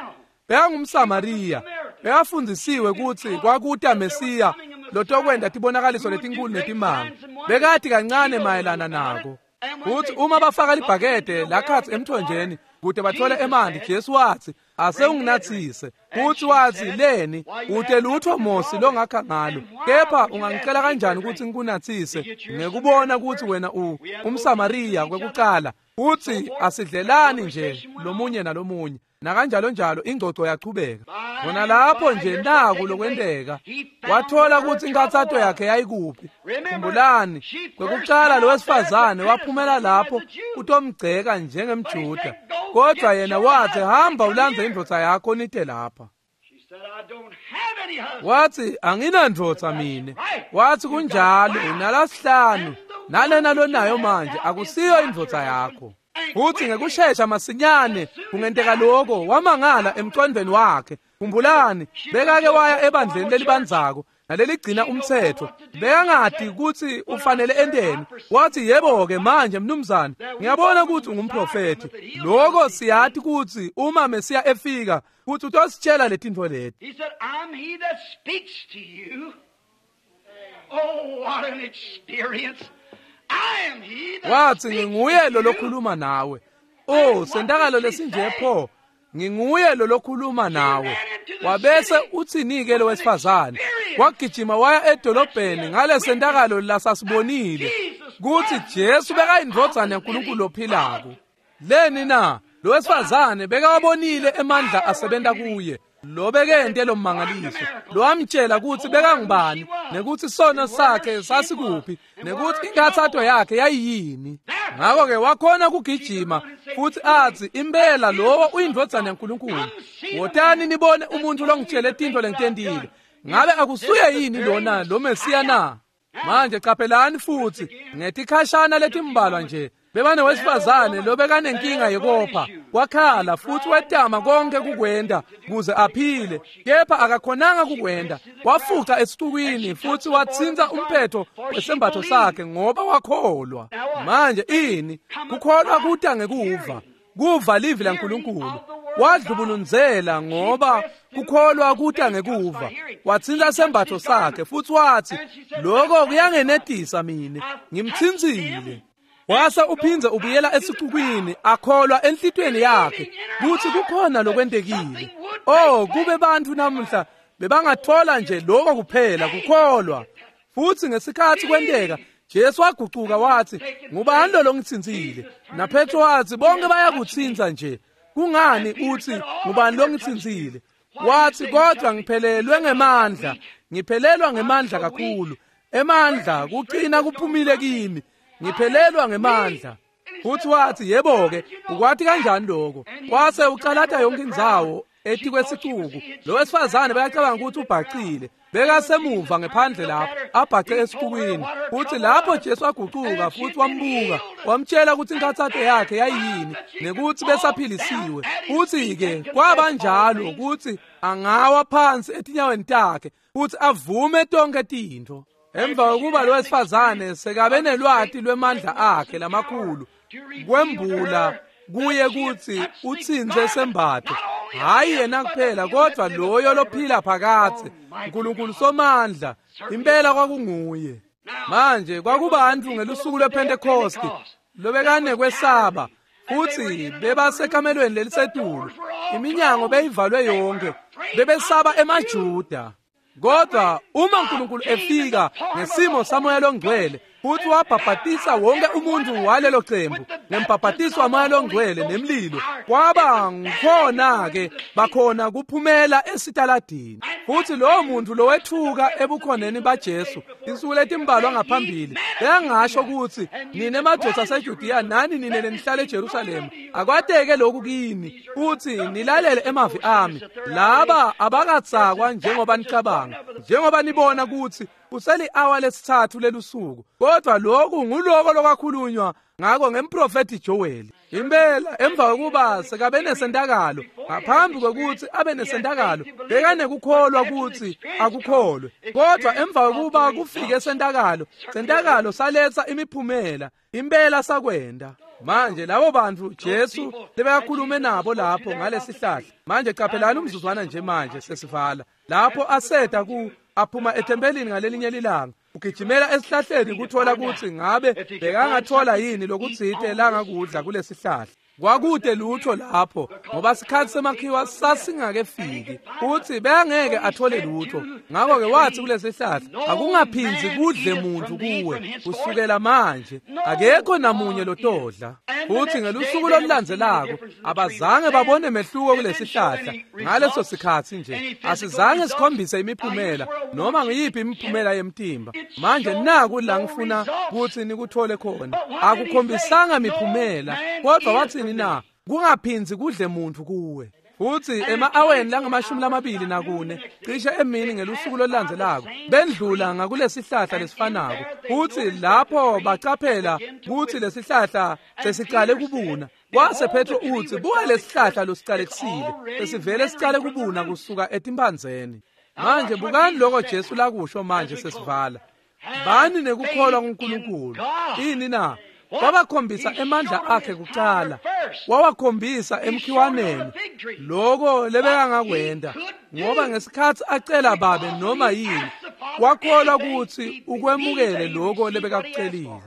Speaker 1: BekangumSamariya, bekafundzisiwe kutsi kwakuta Mesiya lotokwenta tibonakaliso letinkulu netimanga. Bekati kancane mayelana nako. Kutsi uma bafaka libhakede lakhatsi emthonjeni kute bathole emanti, Jesu wathi, "Ase unginatsise." Futhi wathi, "Leni ute lutho Mosi longakha ngalo, kepha ungangicela kanjani ukuthi ngikunatsise ngekubona ukuthi wena umSamariya kwekucala?" Futhi asidlelani nje lomunye nalomunye. Nakanjalo njalo ingcoco yachubeka. Khona lapho nje naku lokwenteka. Wathola ukuthi inkathato yakhe yayikuphi. Khumbulani, kwekucala lo wesifazane waphumela lapho utomgceka njengemJuda. Kodwa yena wathi, hamba ulandze indvodza yakho nite lapha. Wathi, anginandvodza mine. Wathi, kunjalo, unalasihlanu. Nalena lonayo manje akusiyo indvodza yakho. Futhi ngekushesha masinyane kungenteka lokho wamangala emcondweni wakhe. Khumbulani, bekake waya ebandleni lelibanzako naleligcina umthetho. Bekangati ukuthi ufanele enteni. Wathi, yebo-ke manje mnumzane, ngiyabona ukuthi ungumprofethi. Lokho siyati ukuthi uma Mesiya efika ukuthi utositshela letintfo leti.
Speaker 2: He said, I'm he that speaks to you. Oh, what an experience. I am he that
Speaker 1: Wathi,
Speaker 2: speaks
Speaker 1: nginguye
Speaker 2: to
Speaker 1: lo
Speaker 2: you.
Speaker 1: lokhuluma nawe. Oh, sentakalo lesinje pho. Nginguye lo lokhuluma nawe. Wabese uthini-ke lo wesifazane? Wagijima waya edolobheni ngale sentakalo lasasibonile kuthi Jesu bekayindvodzana yaNkulunkulu ophilako. Leni na? Lo wesifazane bekawabonile emandla asebenta kuye. Lo bekente lo mmangaliso. Lo wamtshela ukuthi bekangubani, nekuthi sono sakhe sasikuphi, nekuthi inkathato yakhe yayiyini. Ngakho-ke wakhona kugijima futhi athi, impela lowo uyindvodzana yaNkulunkulu. Wotani nibone umuntu longitshele tintfo lengitentile. Ngabe akusuye yini lona lo Mesiya na? Manje qaphelani futhi ngetikhashana letimbalwa nje bebanewesifazane lobekanenkinga yekopha. Wakhala futhi wetama konke kukwenda kuze aphile, kepha akakhonanga kukwenda. Wafuca esixukwini futhi wathinta umphetho wesembatho sakhe ngoba wakholwa. Manje ini? Kukholwa kuta ngekuva. Kuva livi laNkulunkulu. Wadlubulundzela ngoba kukholwa kuta ngekuva. Wathinta sembatho sakhe futhi wathi, lokho kuyangenetisa mine, ngimthintsile. Wase uphindze ubuyela esixukwini akholwa enhlitweni yakhe kuthi kukhona lokwentekile. Oh, kube bantfu namuhla bebangathola nje lokho kuphela kukholwa. Futhi ngesikhathi kwenteka Jesu wagucuka wathi, ngubani lo longithintsile? NaPetro wathi, bonke bayakutsintsa nje. Kungani uthi ngubani longithintsile? Wathi, kodwa ngiphelelwe ngemandla, ngiphelelwa ngemandla kakhulu. Emandla kuqina kuphumile kimi. Ngiphelelwa ngemandla. Futhi wathi, yebo-ke, ukwati kanjani lokho? Wase ucalata yonke indzawo etikwesixuku. Lo wesifazane bayacabanga ukuthi ubhacile. Bekasemuva ngephandle lapho, abhace esixukwini. Futhi lapho Jesu agucuka futhi wambuka, wamtshela ukuthi inkathato yakhe yayiyini nekuthi besaphilisiwe. Futhi-ke kwaba njalo ukuthi angawa phansi etinyaweni takhe futhi avume tonke tintfo. Emva kokuba lo wesifazane sekabe nelwati lwemandla akhe lamakhulu kwembula kuye kuthi utsintse sembatho, hayi yena kuphela kodwa loyo lophila phakathe, uNkulunkulu somandla, impela kwakunguye. Manje kwakubantu ngelusuku lwePentecost lobekanekwesaba futhi bebasekamelweni lelisetulu, iminyango beyivalwe yonke, bebesaba emaJuda. Kodwa uma uNkulunkulu efika ngesimo saMoya loNgcwele futhi wabhabhatisa wonke umuntu walelo cembu ngembhabhatiso waMoya loNgcwele nemlilo, kwaba ngikhona-ke bakhona kuphumela esitaladini. Futhi lowo muntu lowethuka ebukhoneni baJesu insuku letimbalwa ngaphambili bekangasho ukuthi, nine madoda aseJudiya nani nine lenihlala eJerusalema, akwateke lokhu kini futhi nilalele emavi ami. Laba abakatsakwa njengoba nicabanga, njengoba nibona ukuthi kuseli-awa lesithathu lelusuku, kodwa lokhu nguloko lokwakhulunywa ngako ngemprofethi Joel. Impela emva kokuba sekabe nesentakalo, ngaphambi kokuthi abe nesentakalo bekanekukholwa ukuthi akukholwe, kodwa emva kokuba kufike sentakalo, sentakalo saletsa imiphumela. Impela sakwenda. Manje labo bantu Jesu lebekakhulume nabo lapho ngalesihlahla. Manje qaphelani umzuzwana nje manje sesivala. Lapho aseda ku aphuma ethempelini ngalelinye lilanga, ugijimela esihlahleni kuthola ukuthi ngabe bekangathola yini lokutsite langakudla kulesihlahla. Kwakude lutho lapho ngoba sikhathi semakhiwa sasingakefiki futhi bengeke athole lutho. Ngakho-ke wathi kulesihlahla, akungaphindzi kudle muntu kuwe kusukela manje, akekho namunye lotodla. Futhi ngelusuku olulandzelako abazange babone mehluko kulesihlahla ngaleso sikhathi nje. Asizange sikhombise imiphumela noma ngiyiphi imiphumela yemtimba. Manje naku la ngifuna ukuthi nikuthole khona, akukhombisanga miphumela, kodwa wathini na? Kungaphindzi kudle muntu kuwe. Futhi ema-aweni langamashumi 24 cishe emini ngelusuku lolulandzelako bendlula ngakulesihlahla lesifanako, futhi lapho bacaphela kutsi lesihlahla sesicale kubuna. Kwase Petro utsi, buka lesihlahla losicalekisile sesivele sicale kubuna kusuka etimphandzeni. Manje bukani lokho Jesu lakusho. Manje sesivala. Bani nekukholwa kuNkulunkulu. Ini na? Wabakhombisa emandla akhe kucala, wawakhombisa emkhiwaneni loko lebekangakwenta, ngoba ngesikhathi acela Babe noma yini, wakholwa ukuthi ukwemukele loko lebekakucelile.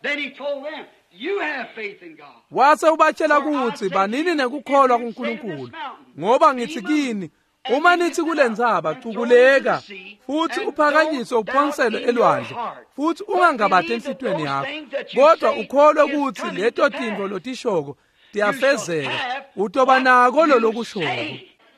Speaker 2: Then he told them, "You have faith in God."
Speaker 1: Wase ubatshela ukuthi banini nekukholwa kuNkulunkulu, ngoba ngithi kini, uma nithi kule ntsaba, cukuleka futhi uphakanyiswe uphonselwe elwandle, futhi ungangabati enhlitiyweni yakho, kodwa ukholwe ukuthi leto tintfo lotishoko tiyafezeka, utoba nako lolokushoko.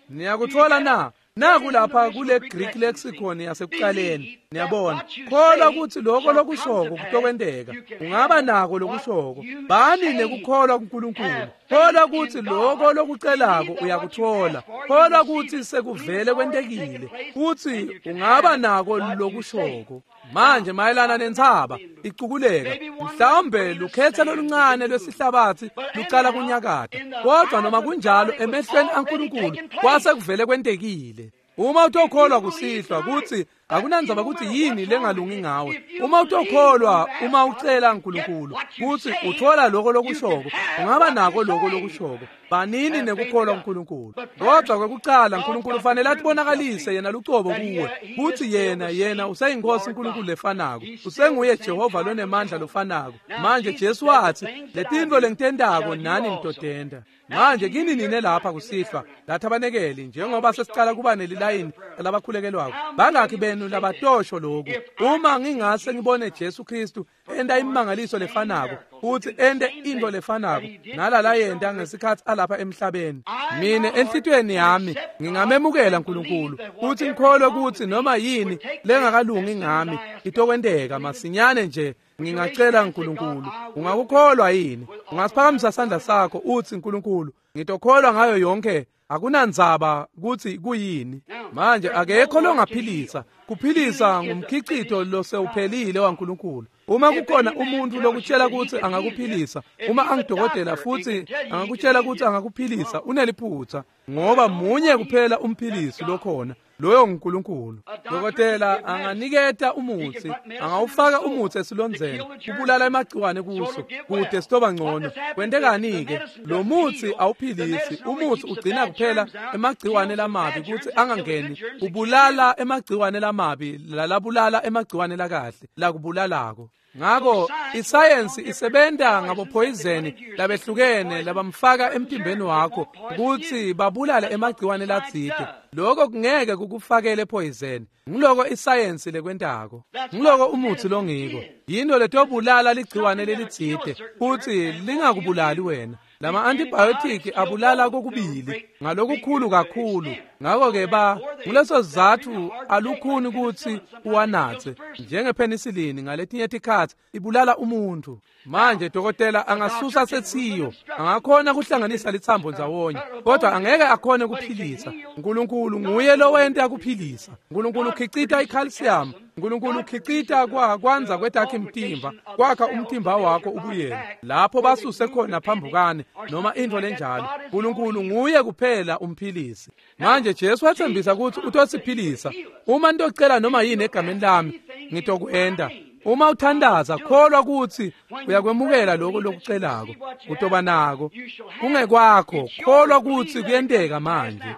Speaker 1: Niyakuthola na? Naku lapha kule Greek lexicon yasekuqaleni. Niyabona, kholwa ukuthi lokho lokushoko kutokwenteka, ungaba nako lokushoko. Bani nekukholwa kuNkulunkulu. Kholwa ukuthi lokho lokucelako uyakuthola. Kholwa ukuthi sekuvele kwentekile futhi ungaba nako lokushoko. Manje mayelana nentsaba icukuleka, mhlawumbe lukhethe loluncane lwesihlabathi lucala kunyakata, kodwa noma kunjalo emehlweni aNkulunkulu kwase kuvele kwentekile. Uma utokholwa kusihlwa kutsi akunandzaba kutsi yini lengalungi ngawe, uma utokholwa, uma ucela uNkulunkulu kutsi uthola lokho lokushoko, ungaba nako lokho lokushoko. Banini nekukholwa kuNkulunkulu. Kodwa kwekucala uNkulunkulu ufanele atibonakalise yena lucobo kuwe kutsi yena useyinkosi uNkulunkulu lefanako, usenguye Jehova lonemandla lofanako. Manje Jesu watsi, letintfo lengitentako nani nitotenta. Manje kini nine lapha kusihlwa lathabanekeli, njengoba sesicala kuba nelilayini labakhulekelwako, bangakhi benu labatosho lokhu: uma ngingase ngibone Jesu Kristu enta imimangaliso lefanako futhi ente into lefanako nalala yenta ngesikhathi alapha emhlabeni, mine enhlitiyweni yami ngingamemukela uNkulunkulu futhi ngikholwe ukuthi noma yini lengakalungi ngami itokwenteka masinyane nje ngingacela uNkulunkulu? Ungakukholwa yini? Ungasiphakamisa sandla sakho uthi, uNkulunkulu, ngitokholwa ngayo yonke, akunandzaba kutsi kuyini? Manje akekho longaphilisa. Kuphilisa ngumkhicito losewuphelile waNkulunkulu. Uma kukhona umuntu lokutshela ukuthi angakuphilisa, uma angidokotela futhi angakutshela ukuthi angakuphilisa, uneliphutha, ngoba munye kuphela umphilisi lokhona, loyo nguNkulunkulu. Dokotela anganiketa umuthi, angawufaka umuthi esilondzeni kubulala emagciwane kuso kude sitoba ngcono. Kwentekani-ke? Lo muthi awuphilisi. Umuthi ugcina kuphela emagciwane lamabi kutsi angangeni, ubulala emagciwane lamabi lalabulala emagciwane lakahle lakubulalako. Ngako isayensi isebenta ngabophoyizeni labehlukene labamfaka emtimbeni wakho kutsi babulale emagciwane latsite. Lokho kungeke kukufakele poison. Ngiloko isayensi lekwentako, ngiloko umuthi longiko, yinto letobulala ligciwane lelitsite futsi lingakubulali wena. Lama antibiotic abulala kokubili ngalokukhulu kakhulu. Ngako-ke ba nguleso sizatfu alukhuni kutsi uwanatse, njengepenicillin ngaletinye tikhatsi ibulala umuntu. Manje dokotela angasusa sethiyo, angakhona kuhlanganisa litsambo ndzawonye, kodwa angeke akhone kuphilisa. Nkulunkulu nguye lowenta kuphilisa. Nkulunkulu ukhicita icalcium. Nkulunkulu ukhicita kwandza kwetakhi mtimba, kwakha umtimba wakho ubuyele lapho basuse khona phambukane noma intfo lenjalo. Nkulunkulu nguye kuphela umphilisi. Manje Jesu wathembisa ukuthi utosiphilisa. Uma nitocela noma yini egameni lami, ngitokwenta. Uma uthandaza, kholwa ukuthi uyakwemukela lokho lokucelako, utoba nako. Kungekwakho, kholwa ukuthi kuyenteka manje.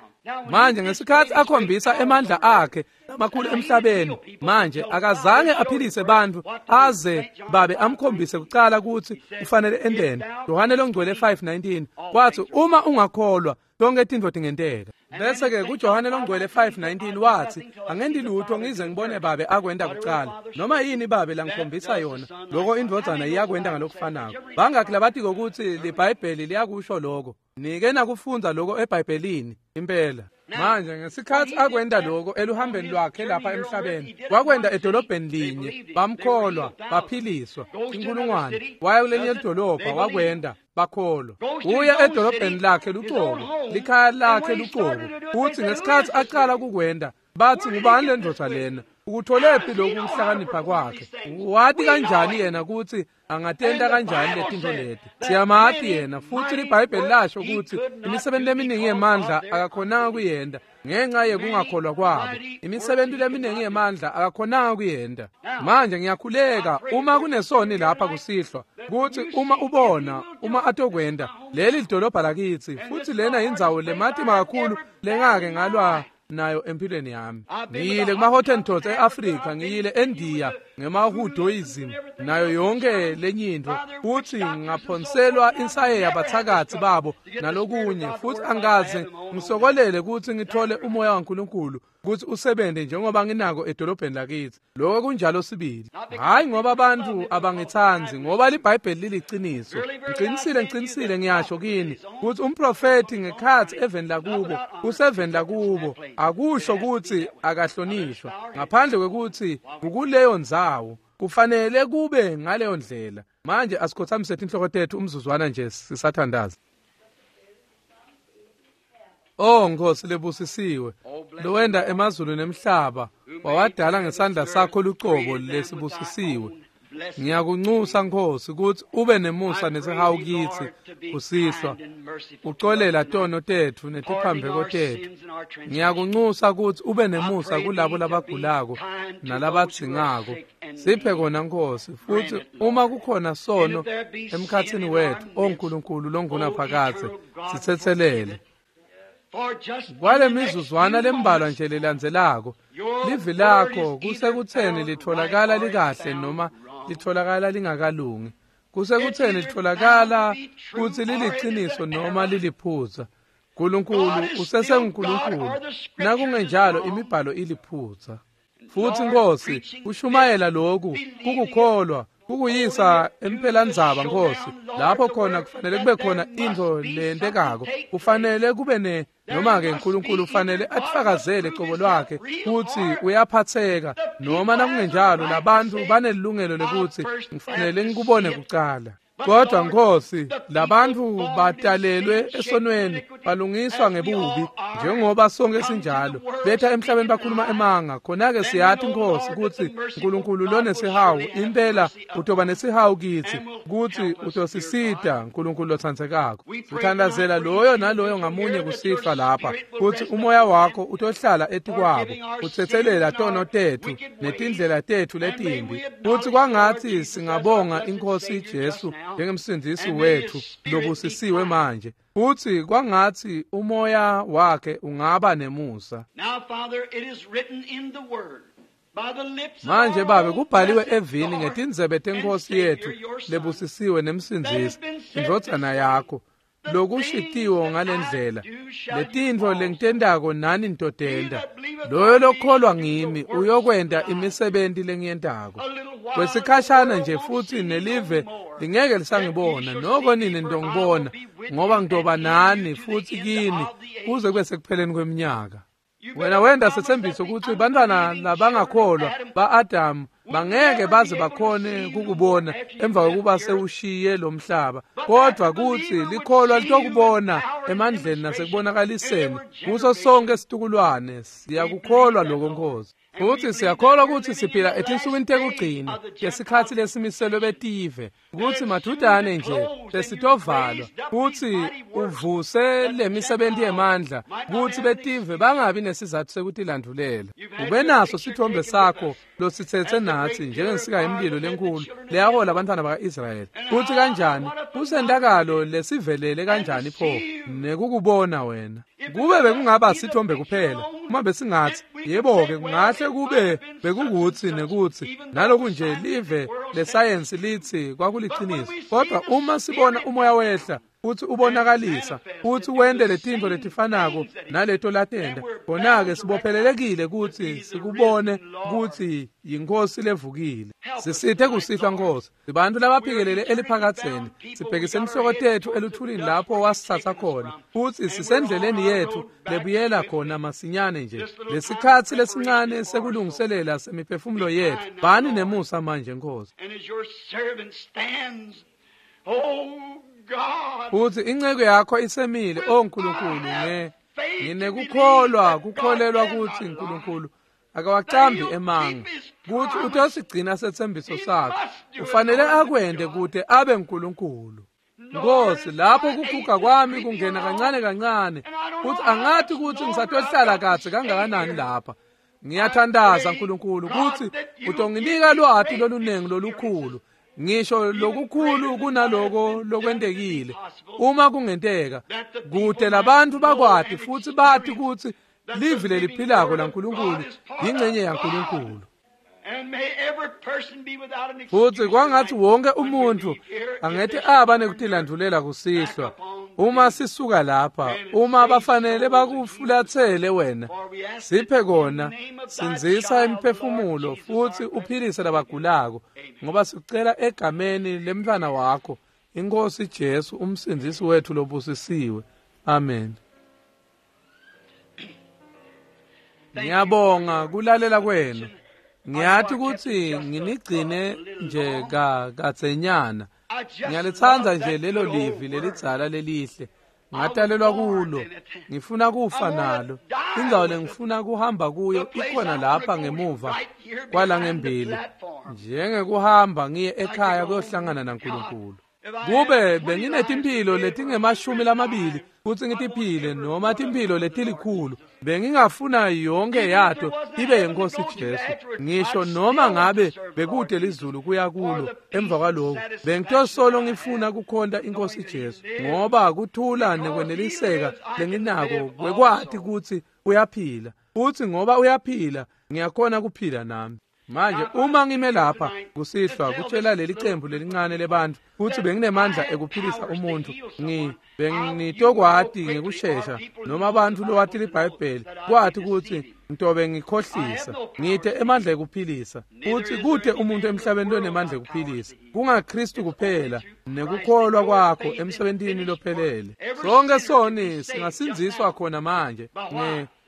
Speaker 1: Manje ngesikhathi akhombisa emandla akhe amakhulu emhlabeni, manje akazange aphilise bantfu aze babe amkhombise kucala ukuthi ufanele endeni. Yohane longcwele 5:19 wathi uma ungakholwa tonke tintfo tingenteka. Bese ke kuJohane longcwele 5:19 wathi angendi lutho ngize ngibone babe akwenda kucala. Noma yini babe langikhombisa yona, lokho indvodzana iyakwenda ngalokufanako. Bangakhi labatiko ukuthi liBhayibheli liyakusho lokho? Nike nakufundza lokho eBhayibhelini impela. Manje ngesikhathi akwenda lokho eluhambeni lwakhe lapha emhlabeni, wakwenda edolobheni linye, bamkholwa, baphiliswa. Inkulungwane waya kulenye idolobha, wakwenda, bakholwa. Uya edolobheni lakhe lucobo, likhaya lakhe lucobo. Futhi ngesikhathi aqala kukwenda, bathi ngubani le ndvodza lena? Ukutholephi lokhu kuhlakanipha kwakhe? Wathi kanjani yena ukuthi angatenta kanjani letintfo leti? Siyamati yena, futhi liBhayibheli lasho ukuthi imisebenzi leminingi yemandla akakhonanga kuyenda ngenxa yekungakholwa kwabo. Imisebenzi leminingi yemandla akakhonanga kuyenda. Manje ngiyakhuleka uma kunesoni lapha kusihlwa kuthi uma ubona uma atokwenda leli lidolobha lakithi, futhi lena indzawo lematima kakhulu lengake ngalwa nayo empilweni yami. Ngiyile kuma-Hottentots e-Afrika, ngiyile eNdiya ngema-Hinduism nayo yonke lenyinto, futhi ngaphonselwa insayeya yabathakathi babo nalokunye, futhi angaze ngisokolele ukuthi ngithole umoya waNkulunkulu ukuthi usebenze njengoba nginako edolobheni lakithi. Lokho kunjalo sibili. Hayi ngoba abantu abangithandi, ngoba liBhayibheli liliqiniso. Ngiqinisile, ngiqinisile ngiyasho kini ukuthi umprofeti ngekhathi eveni lakubo, useveni lakubo, akusho ukuthi akahlonishwa ngaphandle kwekuthi kukuleyo ndzawo. Kufanele kube ngaleyo ndlela. Manje asikhothamise inhloko tethu umzuzwana nje sisathandaza. Oh Nkosi lebusisiwe, lowenda emazulu nemhlaba, wawadala ngesandla sakho lucobo lesibusisiwe. Ngiyakunxusa Nkosi ukuthi ube nemusa nesihawu kithi kusihlwa, uxolela tono tethu netiphambeko tethu. Ngiyakunxusa ukuthi ube nemusa kulabo labagulako nalabadzingako. Siphe kona Nkosi, futhi uma kukhona sono emkhathini wethu, o Nkulunkulu longunaphakadze, sithethelele. Kwale mizuzwana lembalwa nje lelandzelako, livi lakho kusekutheni litholakala likahle noma litholakala lingakalungi, kusekutheni litholakala kutsi liliqiniso noma liliphutsa. Nkulunkulu usesenguNkulunkulu, nakungenjalo imibhalo iliphutsa. Futhi Nkosi, kushumayela lokhu kukukholwa, kukuyisa emphelandzaba Nkosi, lapho khona kufanele kube khona intfo lentekako, kufanele kube ne noma ke uNkulunkulu ufanele atifakazele cobo lwakhe kutsi uyaphatheka, noma nakungenjalo labantu banelungelo lekutsi ngifanele ngikubone kucala. Kodwa Nkosi, labantu batalelwe esonweni, balungiswa ngebubi njengoba sonke sinjalo. Betha emhlabeni bakhuluma emanga. Khona-ke siyathi Nkosi kutsi uNkulunkulu lonesihawu impela utoba nesihawu kithi, kutsi utosisita uNkulunkulu lotsandzekako. Sithandazela loyo naloyo ngamunye kusihlwa lapha, kutsi umoya wakho utohlala etikwabo, utsetselela tono tethu netindlela tethu letimbi, kutsi kwangatsi singabonga iNkosi Jesu njengemsindisi wethu lobusisiwe manje, futhi kwangatsi umoya wakhe ungaba nemusa. Manje Babe, kubhaliwe evini ngetindzebe tenkosi yethu lebusisiwe nemsindisi, indvodzana yakho, lokushitiwo ngalendlela, letintfo lengitentako nani nitotenta. Loyo lokholwa ngimi uyokwenta imisebenti lengiyentako. Kwesikhashana nje futhi nelive lingeke lisangibona, noko nini nitongibona, ngoba ngitoba nani futhi kini kuze kube sekupheleni kweminyaka. Wena wenda sethembiso ukuthi bantwana labangakholwa ba-Adamu bangeke baze bakhone kukubona emva kokuba sewushiye lo mhlaba, kodwa kutsi likholwa litokubona emandleni nasekubonakaliseni kuso sonke situkulwane. Siyakukholwa lokho Nkosi, futhi siyakholwa ukuthi siphila etinsukwini tekugcina ngesikhatsi lesimiselwe betive, kutsi madudane nje lesitovalwa, kutsi uvuse lemisebenzi yemandla, kutsi betive bangabi nesizatfu sekutilandulela. Ube naso sithombe sakho lositsetse natsi njengensika yemlilo lenkulu leyahola abantwana baka-Israyeli. Kutsi kanjani kusentakalo lesivelele kanjani pho nekukubona wena. Kube bekungaba sithombe kuphela, uma besingathi, yebo-ke kungahle kube bekukutsi nekutsi, naloku nje live lesayensi litsi kwakuliciniso. Kodwa uma sibona umoya wehla, futhi ubonakalisa, futhi wente letintfo letifanako naleto latenta, khona-ke sibophelelekile kutsi sikubone kutsi yiNkhosi levukile. Sisithe kusihlwa Nkhosi, sibantfu labaphikelele eliphakadzeni, sibhekise inhloko tetfu eluthulini lapho wasitsatsa khona, futsi sisendleleni yetfu lebuyela khona masinyane nje. Lesikhatsi lesincane sekulungiselela semiphefumulo yetfu, bani nemusa manje Nkhosi. Futsi inceku yakho isemile, o Nkulunkulu, nginekukholwa kukholelwa kutsi Nkulunkulu akawacambi emanga, kutsi utosigcina setsembiso sakhe. Ufanele akwente kute abe Nkulunkulu. Nkosi, lapho kuguga kwami kungena kancane kancane, futsi angathi kutsi ngisatohlala kadze kangakanani lapha. Ngiyathandaza Nkulunkulu kutsi utonginika lwati lolunengi lolukhulu, ngisho lokukhulu kunaloko lokwentekile, uma kungenteka, kute labantfu bakwati futsi bati kutsi livi leliphilako laNkulunkulu yingcenye yaNkulunkulu. Futsi kwangatsi wonke umuntfu angete aba nekutilandvulela kusihlwa uma sisuka lapha, uma bafanele bakufulatsele wena, siphe kona, sindzisa imiphefumulo futsi uphilise labagulako, ngoba sicela egameni lemntfwana wakho, iNkhosi Jesu, umsindzisi wetfu lobusisiwe. Amen. Ngiyabonga kulalela kwenu. Ngiyathi kutsi nginigcine nje kadzenyana. Ngiyalitsandza nje lelo livi lelidzala lelihle. Ngatalelwa kulo, ngifuna kufa nalo. Indzawo lengifuna kuhamba kuyo ikhona lapha ngemuva kwalangembili, njengekuhamba ngiye ekhaya kuyohlangana naNkulunkulu. Kube benginetimphilo letingemashumi lamabili kutsi ngitiphile, noma timphilo letilikhulu, bengingafuna yonke yato ibe yeNkhosi Jesu. Ngisho noma ngabe bekute lizulu kuya kulo emva kwaloko, bengitosolo ngifuna kukhonta iNkhosi Jesu, ngoba kuthula nekweneliseka lenginako kwekwati kutsi uyaphila, futsi ngoba uyaphila ngiyakhona kuphila nami. Manje uma ngime lapha kusihlwa kutshela leli cembu lelincane lebantfu kutsi benginemandla ekuphilisa umuntfu, bengitokwati ngekushesha, noma abantu lowati liBhayibheli kwati kutsi ngitobe ngikhohlisa. Ngite emandla ekuphilisa, futsi kute umuntu emhlabeni lonemandla ekuphilisa, kungaKristu kuphela nekukholwa kwakho emsebentini lophelele. Sonke soni singasindziswa khona manje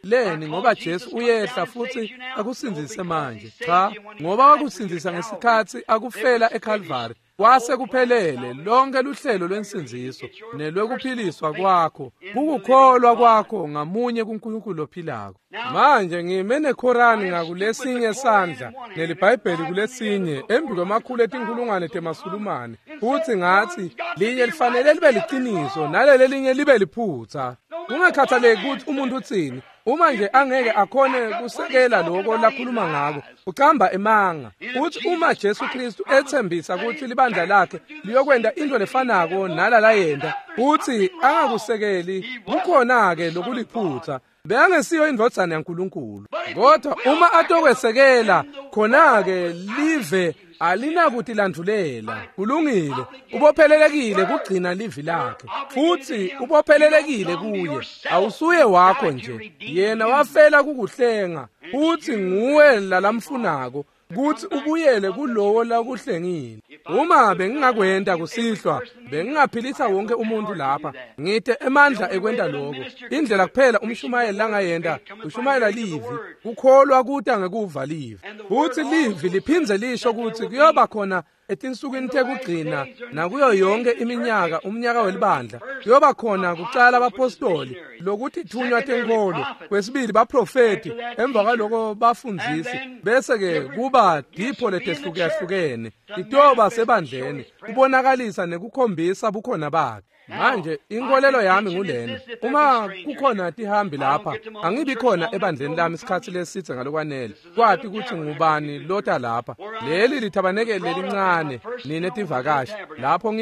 Speaker 1: leni, ngoba Jesu uyehla futsi akusindzise manje. Cha, ngoba wakusindzisa ngesikhatsi akufela eKalvari, kwase kuphelele lonke luhlelo lwensindziso nelwekuphiliswa kwakho, kukukholwa kwakho ngamunye kuNkulunkulu lophilako. Manje ngime neKhorani ngakulesinye sandla neliBhayibheli kulesinye, embi kwemakhulu etinkhulungwane temasulumane, futsi ngatsi linye lifanele libe liciniso naleli linye libe liphutsa. Kungakhathaleki kutsi umuntu utsini, uma nje angeke akhone kusekela lokho lakhuluma ngako, ucamba emanga. Uthi uma Jesu Kristu ethembisa kutsi libandla lakhe liyokwenta into lefanako nalala yenta, uthi angakusekeli, kukhona-ke lokuliphutsa. Bekangesiyo indvodzana yaNkulunkulu. Kodwa uma atokwesekela, khona-ke live alinakutilandvulela. Kulungile, ubophelelekile kugcina livi lakhe, futsi ubophelelekile kuye. Awusuye wakho nje, yena wafela kukuhlenga, futsi nguwe lalamfunako kutsi ubuyele kulowo lakuhlengile. Uma bengingakwenta kusihlwa, bengingaphilisa wonke umuntu lapha. Ngite emandla ekwenta lokho. Indlela kuphela umshumayeli langayenta, ushumayela livi, kukholwa kuta ngekuva livi. Futsi livi liphindze lisho kutsi kuyoba khona etinsukwini tekugcina nakuyo yonke iminyaka, umnyaka welibandla, kuyoba khona kucala abapostoli, lokuthi thunywa tenkholo, kwesibili baprofeti, emva kwaloko bafundzisi, bese-ke kuba dipho letehlukahlukene titoba sebandleni, kubonakalisa nekukhombisa bukhona bakhe. Manje inkolelo yami ngulena, uma kukhona tihambi lapha, angibi khona ebandleni lami isikhatsi lesidze ngalokwanele kwati kutsi ngubani lota lapha. Leli lithabanekeli lelincane nine tivakashi, lapho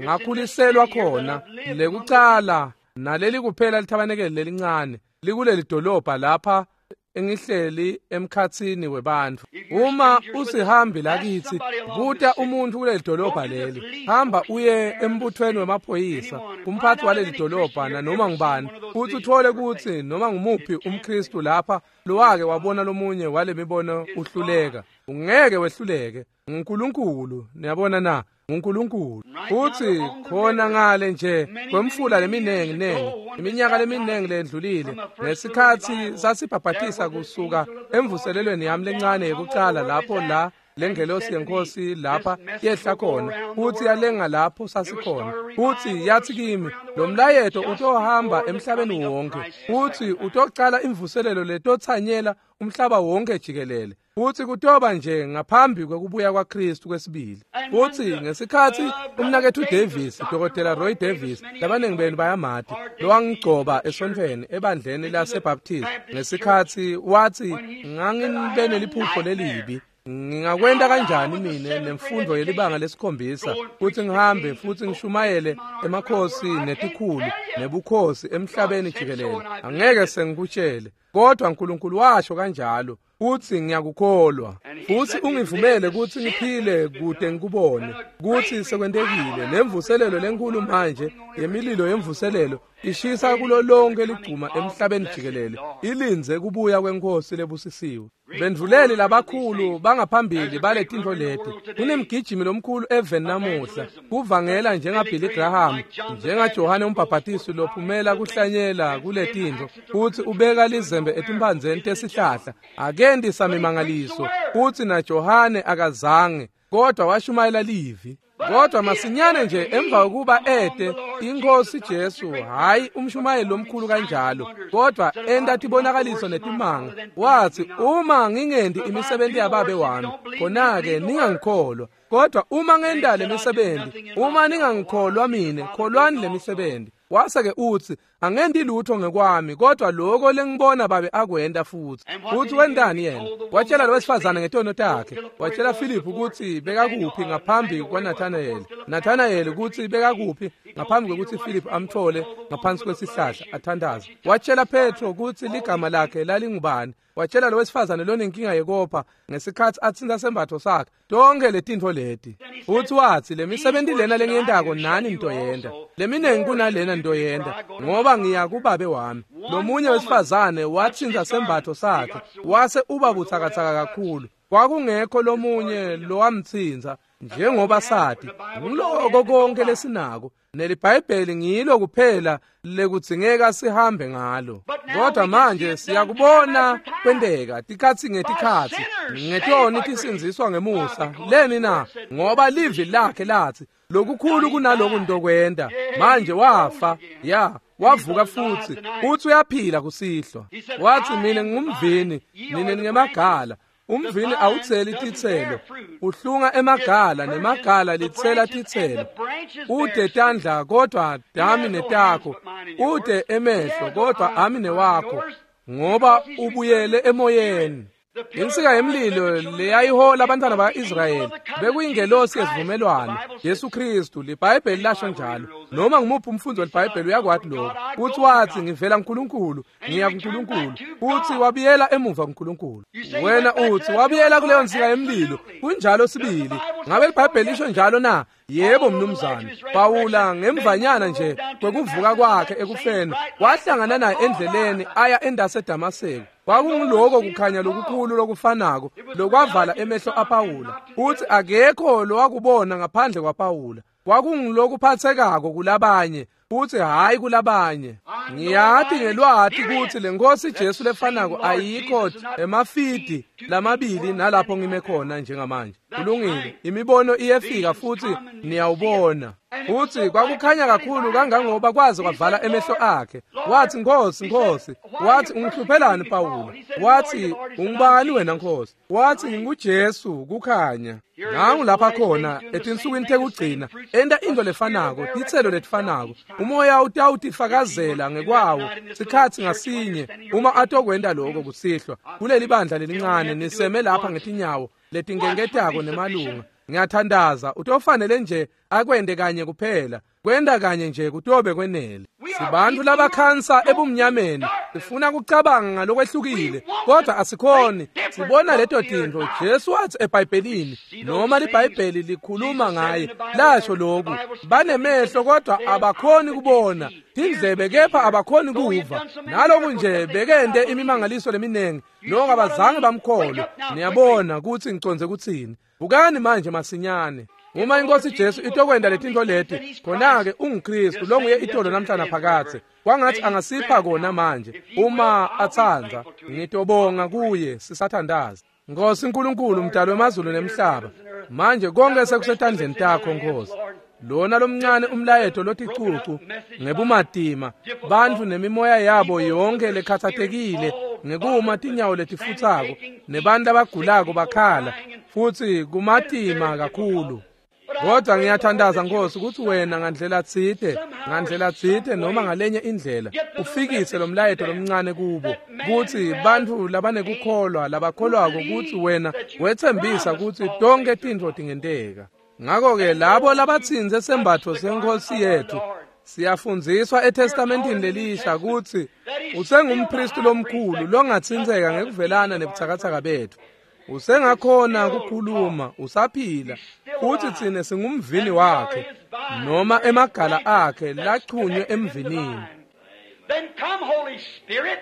Speaker 1: ngakhuliselwa khona lekucala. Naleli kuphela lithabanekeli lelincane likuleli dolobha lapha engihleli emkhatsini webantfu. Uma usihambi lakithi, buta umuntfu kuleli dolobha leli. Hamba uye embuthweni wemaphoyisa, kumphathi waleli dolobha nanoma ngubani, futhi uthole kutsi noma ngumuphi umKristu lapha lowake wabona lomunye wale mibono uhluleka. Ungeke wehluleke. NguNkulunkulu, niyabona na? NguNkulunkulu. Futhi khona ngale nje kwemfula leminengi nengi, iminyaka leminingi lendlulile, ngesikhatsi sasibhabhatisa kusuka emvuselelweni yami lencane yekucala lapho la lengelosi yenkosi lapha yehla khona, futhi yalenga lapho sasikhona, futhi yathi kimi, lo mlayeto utohamba emhlabeni wonke, futhi utocala imvuselelo letotsanyela umhlaba wonke jikelele, futhi kutoba nje ngaphambi kwekubuya kwaKristu kwesibili. Futhi ngesikhatsi umnaketfu Davis, Dr. Roy Davis, labaningi benu bayamati, lowangigcoba esontfweni ebandleni laseBaptist, ngesikhatsi wathi ngangibe neliphupho lelibi, ngingakwenta kanjani mine nemfundo yelibanga lesikhombisa futhi ngihambe futhi ngishumayele emakhosi netikhulu nebukhosi emhlabeni jikelele? Angeke sengikutshele, kodwa uNkulunkulu washo kanjalo, futhi ngiyakukholwa, futhi ungivumele ukuthi ngiphile kude ngikubone ukuthi sekwentekile. Nemvuselelo lenkulu manje yemililo yemvuselelo ishisa kulo lonke ligcuma emhlabeni jikelele, ilindze kubuya kwenkosi lebusisiwe. Bendvuleli labakhulu bangaphambili baletintfo leti. Kunemgijimi lomkhulu eveni namuhla kuvangela njengaBilly Graham, njengaJohane umbhabhatisi lophumela kuhlanyela kuletintfo, futhi ubeka lizembe etimphandzeni tesihlahla. Akendi samimangaliso, futhi naJohane akazange, kodwa washumayela livi. Kodwa masinyane nje emva kokuba ete inkosi Jesu, hayi umshumayeli lomkhulu kanjalo, kodwa enta tibonakaliso netimanga, wathi, uma ngingendi imisebenzi yababe wami, khona-ke ningangikholwa. Kodwa uma ngenta le misebenzi, uma ningangikholwa mine, kholwani le misebenzi. Wase-ke uthi, angendi lutho ngekwami, kodwa lokho lengibona babe akwenta futhi. Futhi wentani yena? Watshela lo wesifazane ngetono takhe. Watshela Philip ukuthi bekakuphi ngaphambi kwaNathanael. Nathanael ukuthi bekakuphi ngaphambi kokuthi Philip amthole ngaphansi kwesihlahla athandaza. Watshela Petro ukuthi ligama lakhe lalingubani. Watshela lo wesifazane lonenkinga yekopha ngesikhatsi atsinta sembatho sakhe. Tonke letintfo leti. Futhi wathi, lemisebenzi lena lengiyentako nani ntoyenta, leminengi kunalena ntoyenta, ngoba ngiya kubabe wami. Lomunye wesifazane watsinta sembatho sakhe, wase uba butsakatsaka kakhulu. Kwakungekho lomunye lowamtsinza, njengoba sathi, ngiloko konke lesinako. NeliBhayibheli ngilo kuphela lekudzingeka sihambe ngalo. Kodwa manje siyakubona kwenteka tikhatsi ngetikhatsi, ngetoni tisindziswa ngemusa. Leni na? Ngoba livi lakhe lathi lokukhulu kunaloku ntokwenta. Manje wafa, ya, wavuka futhi, uthi uyaphila kusihlwa. Wathi, mina ngingumvini, nine ningemagala. Umvini awutseli titselo, uhlunga emagala, nemagala litsela titselo. Ude tandla kodwa dami netakho, ude emehlo kodwa ami newakho, ngoba ubuyele emoyeni. Insika yemlilo leyayihola abantwana ba-Israyeli bekuyingelosi yesivumelwano, Jesu Kristu. LiBhayibheli lasho njalo. Noma ngumuphi umfundi weliBhayibheli uyakwati lokho. Uthi wathi, ngivela kuNkulunkulu, ngiya kuNkulunkulu. Uthi wabuyela emuva kuNkulunkulu. Wena uthi wabuyela kuleyo nsika yemlilo. Kunjalo sibili. Ngabe liBhayibheli lisho njalo na? Yebo mnumzane. Pawula ngemvanyana nje kwekuvuka kwakhe ekufeni wahlangana naye endleleni aya endase Damaseko. Kwakunguloko kukhanya lokukhulu lokufanako lokwavala emehlo aPawula. Uthi akekho lowakubona ngaphandle kwaPawula. Kwakungulokuphathekako kulabanye, uthi hayi kulabanye. Ngiyati ngelwati ukuthi lenkosi Jesu lefanako ayikho emafidi lamabili nalapho ngime khona njengamanje. Kulungile, imibono iyefika futhi niyawubona. Uthi kwakukhanya kakhulu kangangoba kwaze kwavala emehlo akhe. Wathi, Nkosi, Nkosi. Wathi, ungihluphelani Pawula? Wathi, ungubani wena Nkosi? Wathi, nginguJesu kukhanya. Nangu lapha khona etinsukwini tekugcina enta into lefanako, titselo letifanako. Umoya utawutifakazela ngekwawo sikhatsi ngasinye uma atokwenta lokho kusihlwa kuleli bandla lelincane niseme lapha ngetinyawo letingenketako nemalunga. Ngiyathandaza utofanele nje akwende kanye kuphela. Kwenda kanye nje kutobe kwenele. Sibantu labakhansa ebumnyameni, sifuna kucabanga ngalokwehlukile, kodwa asikhoni. Sibona leto tintfo Jesu wathi eBhayibhelini, noma liBhayibheli likhuluma ngaye, lasho lokhu: banemehlo kodwa abakhoni kubona, tindlebe kepha abakhoni kuva. Naloku nje bekente imimangaliso leminingi, noko abazange bamkholwe. Niyabona ukuthi ngicondze kutsini. Bukani manje masinyane. Uma inkosi Jesu itokwenda letinto leti, khona-ke unguKristu longuye itolo namhlanje phakathe. Kwangathi angasipha kona manje uma atsandza. Ngitobonga kuye sisathandaza. Nkosi uNkulunkulu, mdali wemazulu nemhlaba, manje konke sekusetandleni takho Nkosi. Lona lomncane umlayeto loticucu ngebumatima, bantfu nemimoya yabo yonke lekhatsatekile ngekuma tinyawo letifutsako, nebantu abagulako bakhala, futhi kumatima kakhulu. Kodwa ngiyathandaza Nkosi ukuthi wena ngandlela tsite noma ngalenye indlela ufikise lo mlayeto lomncane kubo, kuthi bantfu labanekukholwa labakholwako ukuthi wena wetsembisa ukuthi tonke tintfo tingenteka. Ngakho-ke labo labatsintse sembatfo senkosi yethu, siyafundziswa eTestamentini lelisha ukuthi usengumpristi lomkhulu longatsintseka ngekuvelana nebutsakatsaka bethu. Usengakhona kukhuluma, usaphila, futhi tsine singumvini wakhe noma emagala akhe lachunywe emvinini.
Speaker 2: Then come, Holy Spirit,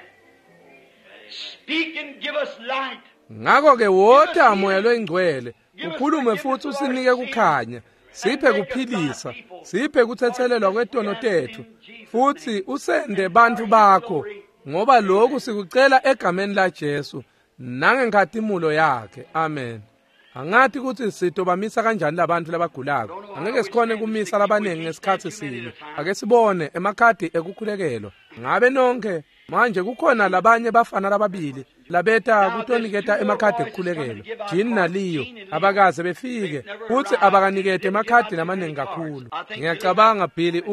Speaker 2: speak and give us light.
Speaker 1: Ngakho-ke wota Moya loyiNgcwele, ukhulume futhi usinike kukhanya, siphe kuphilisa, siphe kuthethelelwa kwetono tethu, futhi usende bantfu bakho, ngoba lokhu sikucela egameni la Jesu nangenkhatimulo yakhe. Amen. Angathi ukuthi sitobamisa kanjani labantu labagulako. Angeke sikhone kumisa labaningi ngesikhathi sinye. Ake sibone emakhadi ekukhulekelwa. Ngabe nonke manje kukhona labanye bafana lababili labeta kutoniketa emakhadi ekukhulekelwa, Jean naLeo, abakaze befike futhi abakanikete emakhadi lamaningi kakhulu. Ngiyacabanga Billy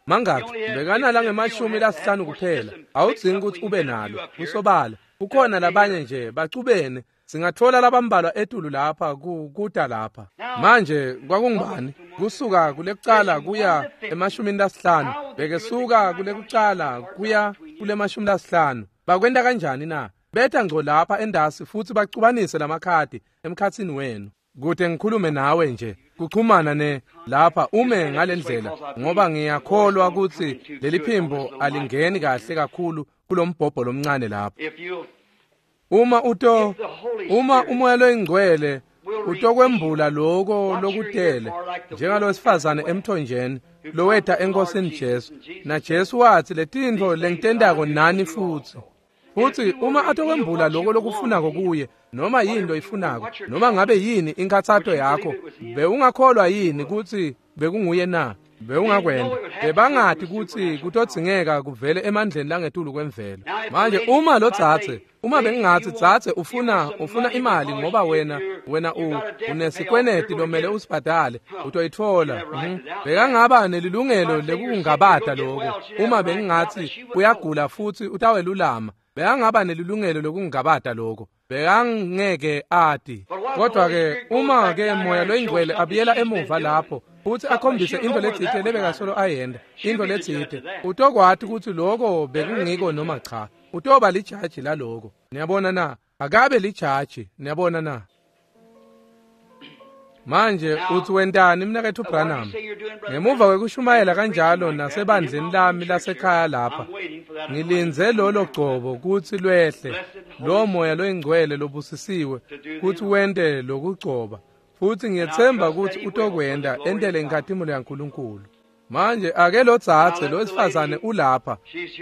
Speaker 1: mangakhi bekanala ngemashumi lasihlanu kuphela. Awudzingi ukuthi ube nalo, kusobala. Kukhona labanye nje bacubene, singathola labambalwa etulu lapha kuta lapha. Manje kwakungubani? Kusuka kulekucala kuya emashumini lasihlanu, bekesuka kulekucala kuya kulemashumi lasihlanu. Bakwenta kanjani na? Betha ngco lapha endasi futhi bacubanise lamakhadi emkhatsini wenu. Kude ngikhulume nawe nje, kuchumana ne lapha ume ngalendlela, ngoba ngiyakholwa ukuthi leli phimbo alingeni kahle kakhulu kulombhobho lomncane lapha. Uma umoya loyingcwele utokwembula lokho lokutele, njengalowesifazane emthonjeni loweta enkosini Jesu, na Jesu wathi letintfo lengitendako nani futhi. Futhi uma atokwembula lokho lokufunako kuye, noma yini loyifunako, noma ngabe yini inkhatsato yakho, bewungakholwa yini ukuthi bekunguye na? Bewungakwenda. Bebangathi ukuthi kutodzingeka kuvele emandleni langetulu kwemvelo. Manje uma lo dzadze, uma bengingathi dzadze ufuna imali ngoba wena unesikweneti lomele usibhadale, utoyitfola. Bekangaba nelilungelo lekungabata lokho. Uma bengingathi uyagula futhi utawelulama, bekangaba nelilungelo lokungabata lokho. Bekangeke ati. Kodwa-ke uma ke Moya loyiNgcwele abuyela emuva lapho futhi akhombise into letsite lebekasolo ayenda, into letsite, utokwati ukuthi lokho bekungiko noma cha. Utoba lijaji laloko. Niyabona na? Akabe lijaji. Niyabona na? Manje uthi wentani mnaketfu Branham? Ngemuva kwekushumayela kanjalo nasebandleni lami lasekhaya lapha, ngilindze lolo gcobo kutsi lwehle, lo Moya loyiNgcwele lobusisiwe kutsi wente lokugcoba, futhi ngiyethemba kutsi utokwenta entele inkhatimulo yaNkulunkulu. Manje ake lo dzadze lo wesifazane ulapha,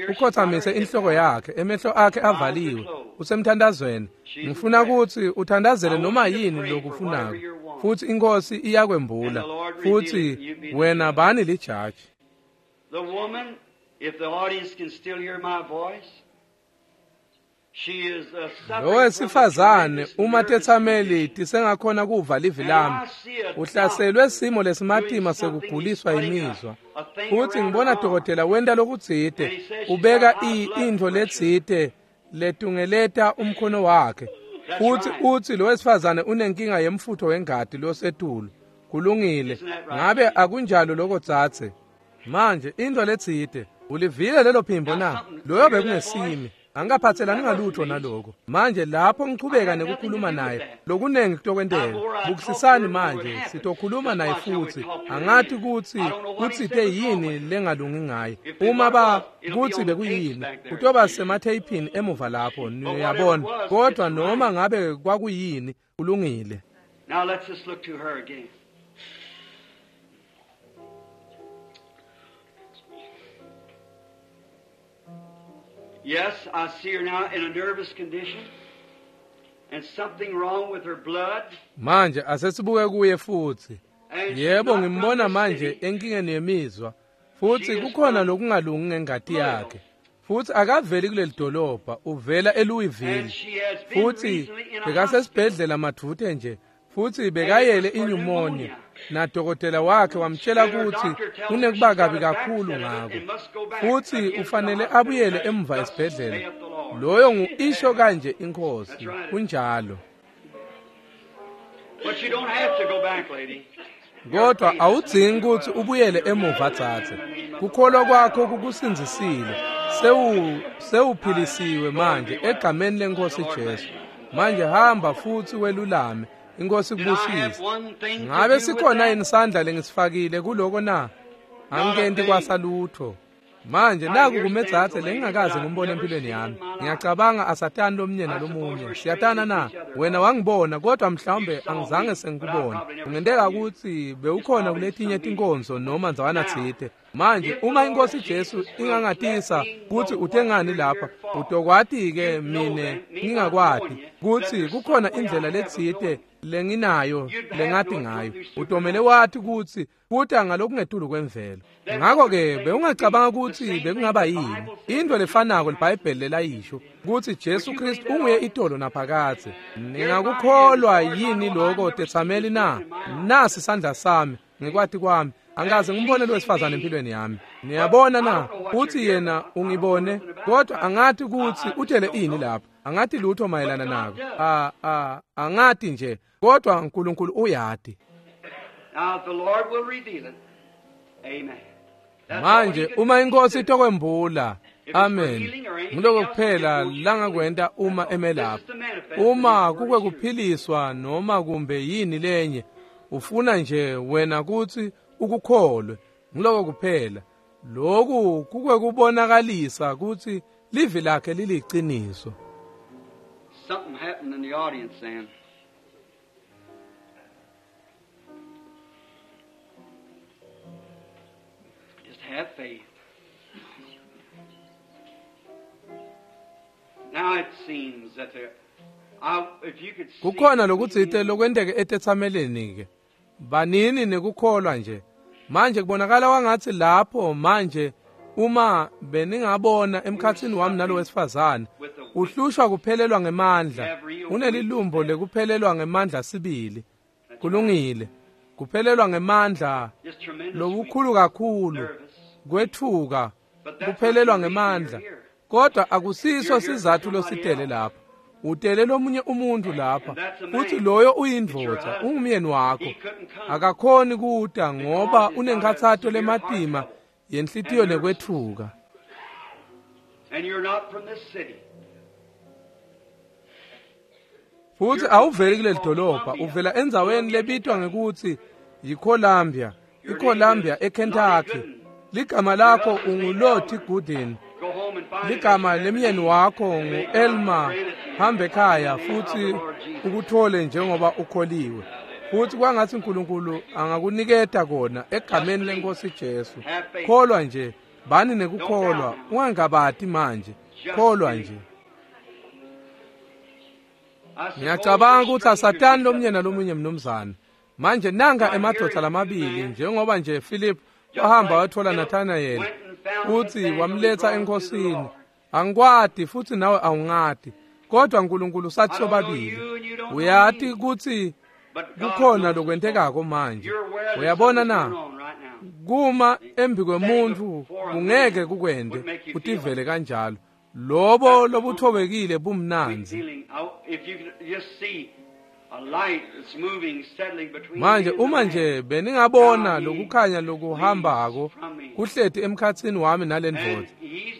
Speaker 1: ukhothamise inhloko yakhe, emehlo akhe avaliwe, usemthandazweni. Ngifuna kutsi uthandazele noma yini lokufunako, futhi inkosi iyakwembula, futhi wena bani lijaji.
Speaker 2: The woman, if the audience can still hear my voice, she is
Speaker 1: Lo wesifazane uma tetsameli tisengakhona kuva livi lami, uhlaselwe simo lesimatima sekuguliswa imizwa. Futhi ngibona dokotela wenta lokutsite, ubeka intfo letsite letungeleta umkhono wakhe. Futhi uthi lo wesifazane unenkinga yemfutho wengati losetulu. Kulungile. Ngabe akunjalo lokho dzadze? Manje into letsite, ulivile lelo phimbo na? Loyo bekungesimi. Angikaphathelani ngalutho naloko. Manje lapho ngichubeka nekukhuluma naye, lokunengi kutokwenteka. Bukisisani manje, sitokhuluma naye futsi. Angati kutsi kutsite yini lengalungi ngaye. Uma ba kutsi bekuyini, kutoba sematheyiphini emuva lapho, niyabona. Kodwa noma ngabe kwakuyini, kulungile.
Speaker 2: Now let's just look to her again. Yes, I see her now in a nervous condition and something wrong with her blood.
Speaker 1: Manje asesibuke kuye futhi.
Speaker 2: And she's
Speaker 1: Yebo
Speaker 2: not from
Speaker 1: ngimbona
Speaker 2: this
Speaker 1: manje
Speaker 2: city.
Speaker 1: enkingeni yemizwa. Futhi kukhona lokungalungi ngengati yakhe. Futhi akaveli kuleli dolobha, uvela eLouisville.
Speaker 2: And she has been
Speaker 1: Futhi
Speaker 2: recently in a hospital.
Speaker 1: bekasesibhedlela madvute nje. Futhi bekayele inyumonia. Nadokotela wakhe wamtshela ukuthi kunekuba kabi kakhulu ngako. Futhi ufanele abuyele emva esibhedlela. Loyo ngu-isho kanje inkosi. Kunjalo.
Speaker 2: But you don't have to go back, lady.
Speaker 1: Kodwa awudzingi ukuthi ubuyele emuva dzadze. Kukholwa kwakho kukusindzisile. Sewuphilisiwe manje egameni lenkosi Jesu. Manje hamba futhi welulame. Inkosi
Speaker 2: Did I have
Speaker 1: kubusise.
Speaker 2: one thing to
Speaker 1: Ngabe
Speaker 2: do with
Speaker 1: sikhona
Speaker 2: that?
Speaker 1: yini isandla lengisifakile kuloko na? Angikenti kwasalutho. Manje naku kumedzadze lengingakaze ngimbone empilweni yami. Ngiyacabanga asatani lomnye nalomunye. Siyatana na? Wena wangibona kodwa mhlawumbe angizange sengikubone. Kungenteka ukuthi bewukhona kuletinye tinkonzo noma ndzawana tsite. Manje uma inkosi Jesu ingangatisa kutsi utengani lapha, utokwati-ke mine ngingakwati kutsi kukhona indlela letsite lenginayo lengati ngayo. Utomele wati kutsi kuta ngalokungetulu kwemvelo. Ngakho-ke bewungacabanga kutsi bekungaba yini into lefanako liBhayibheli lelayisho kutsi Jesu Kristu unguye itolo naphakadze. Ningakukholwa yini lokho tetsameli na? Nasi isandla sami ngekwati kwami. Angikaze ngimbone lo wesifazane empilweni yami. Niyabona na? Uthi yena ungibone, kodwa angati kutsi utele ini lapha. Angati lutho mayelana nako. Angati nje, kodwa uNkulunkulu uyati.
Speaker 2: Now, if the Lord will reveal it, amen. That's all he
Speaker 1: Manje
Speaker 2: can
Speaker 1: uma
Speaker 2: do.
Speaker 1: inkosi itokwembula, amen. Ngiloko kuphela langakwenta uma emelapha. Uma kukwe kuphiliswa noma kumbe yini lenye, ufuna nje wena kutsi ukukholwe. Ngiloko kuphela. Lokhu kukwe kubonakalisa kutsi livi lakhe liliciniso.
Speaker 2: Something happened in the audience then. Just have faith. Now it seems that there, if you could see
Speaker 1: Kukhona lokutsite lokwenteke etetsameleni ke. Banini nekukholwa nje. Manje kubonakala wangathi lapho manje uma beningabona emkhatsini wami nalo wesifazane uhlushwa kuphelelwa ngemandla. Unelilumbo lekuphelelwa ngemandla sibili. Kulungile. Kuphelelwa ngemandla
Speaker 2: just tremendous
Speaker 1: lokukhulu kakhulu
Speaker 2: nervous.
Speaker 1: kwethuka kuphelelwa ngemandla. Kodwa akusiso sizathu lositele lapha. Utele lomunye umuntu lapha futhi loyo uyindvodza, ungumyeni wakho. Akakhoni kuta ngoba unenkhatsato lematima yenhlitiyo nekwethuka.
Speaker 2: And you're not from this city.
Speaker 1: Futhi awuveli kuleli dolobha, uvela endzaweni lebitwa ngekuthi yiColumbia, iColumbia eKentucky. Ligama lakho unguLottie Gooden.
Speaker 2: Go home and find
Speaker 1: Ligama
Speaker 2: it.
Speaker 1: lemyeni wakho ngu-Elmer. Hamba ekhaya futhi ukuthole njengoba ukholiwe. Futhi kwangathi uNkulunkulu angakuniketa kona egameni lenkosi Jesu. Kholwa nje, bani nekukholwa, ungangabati manje. Kholwa nje.
Speaker 2: I suppose
Speaker 1: Ngiyacabanga
Speaker 2: you're
Speaker 1: ukuthi asatani
Speaker 2: strangers
Speaker 1: lomunye nalomunye mnumzane. Manje nanga emadoda lamabili njengoba nje Philip wahamba wathola Nathanael futhi wamletha enkosini. Angikwati futhi nawe awungati. Kodwa uNkulunkulu sathi sobabili. Uyati ukuthi
Speaker 2: But God
Speaker 1: kukhona
Speaker 2: knows.
Speaker 1: lokwentekako manje.
Speaker 2: You're aware that
Speaker 1: Uyabona
Speaker 2: something's
Speaker 1: na?
Speaker 2: going on right now.
Speaker 1: Kuma embi kwemuntu kungeke kukwende utivele kanjalo. Lobo lobuthobekile bumnandzi.
Speaker 2: Feeling, if you could just see
Speaker 1: Manje uma nje beningabona lokukhanya lokuhambako kuhleti emkhatsini wami nalendvodza.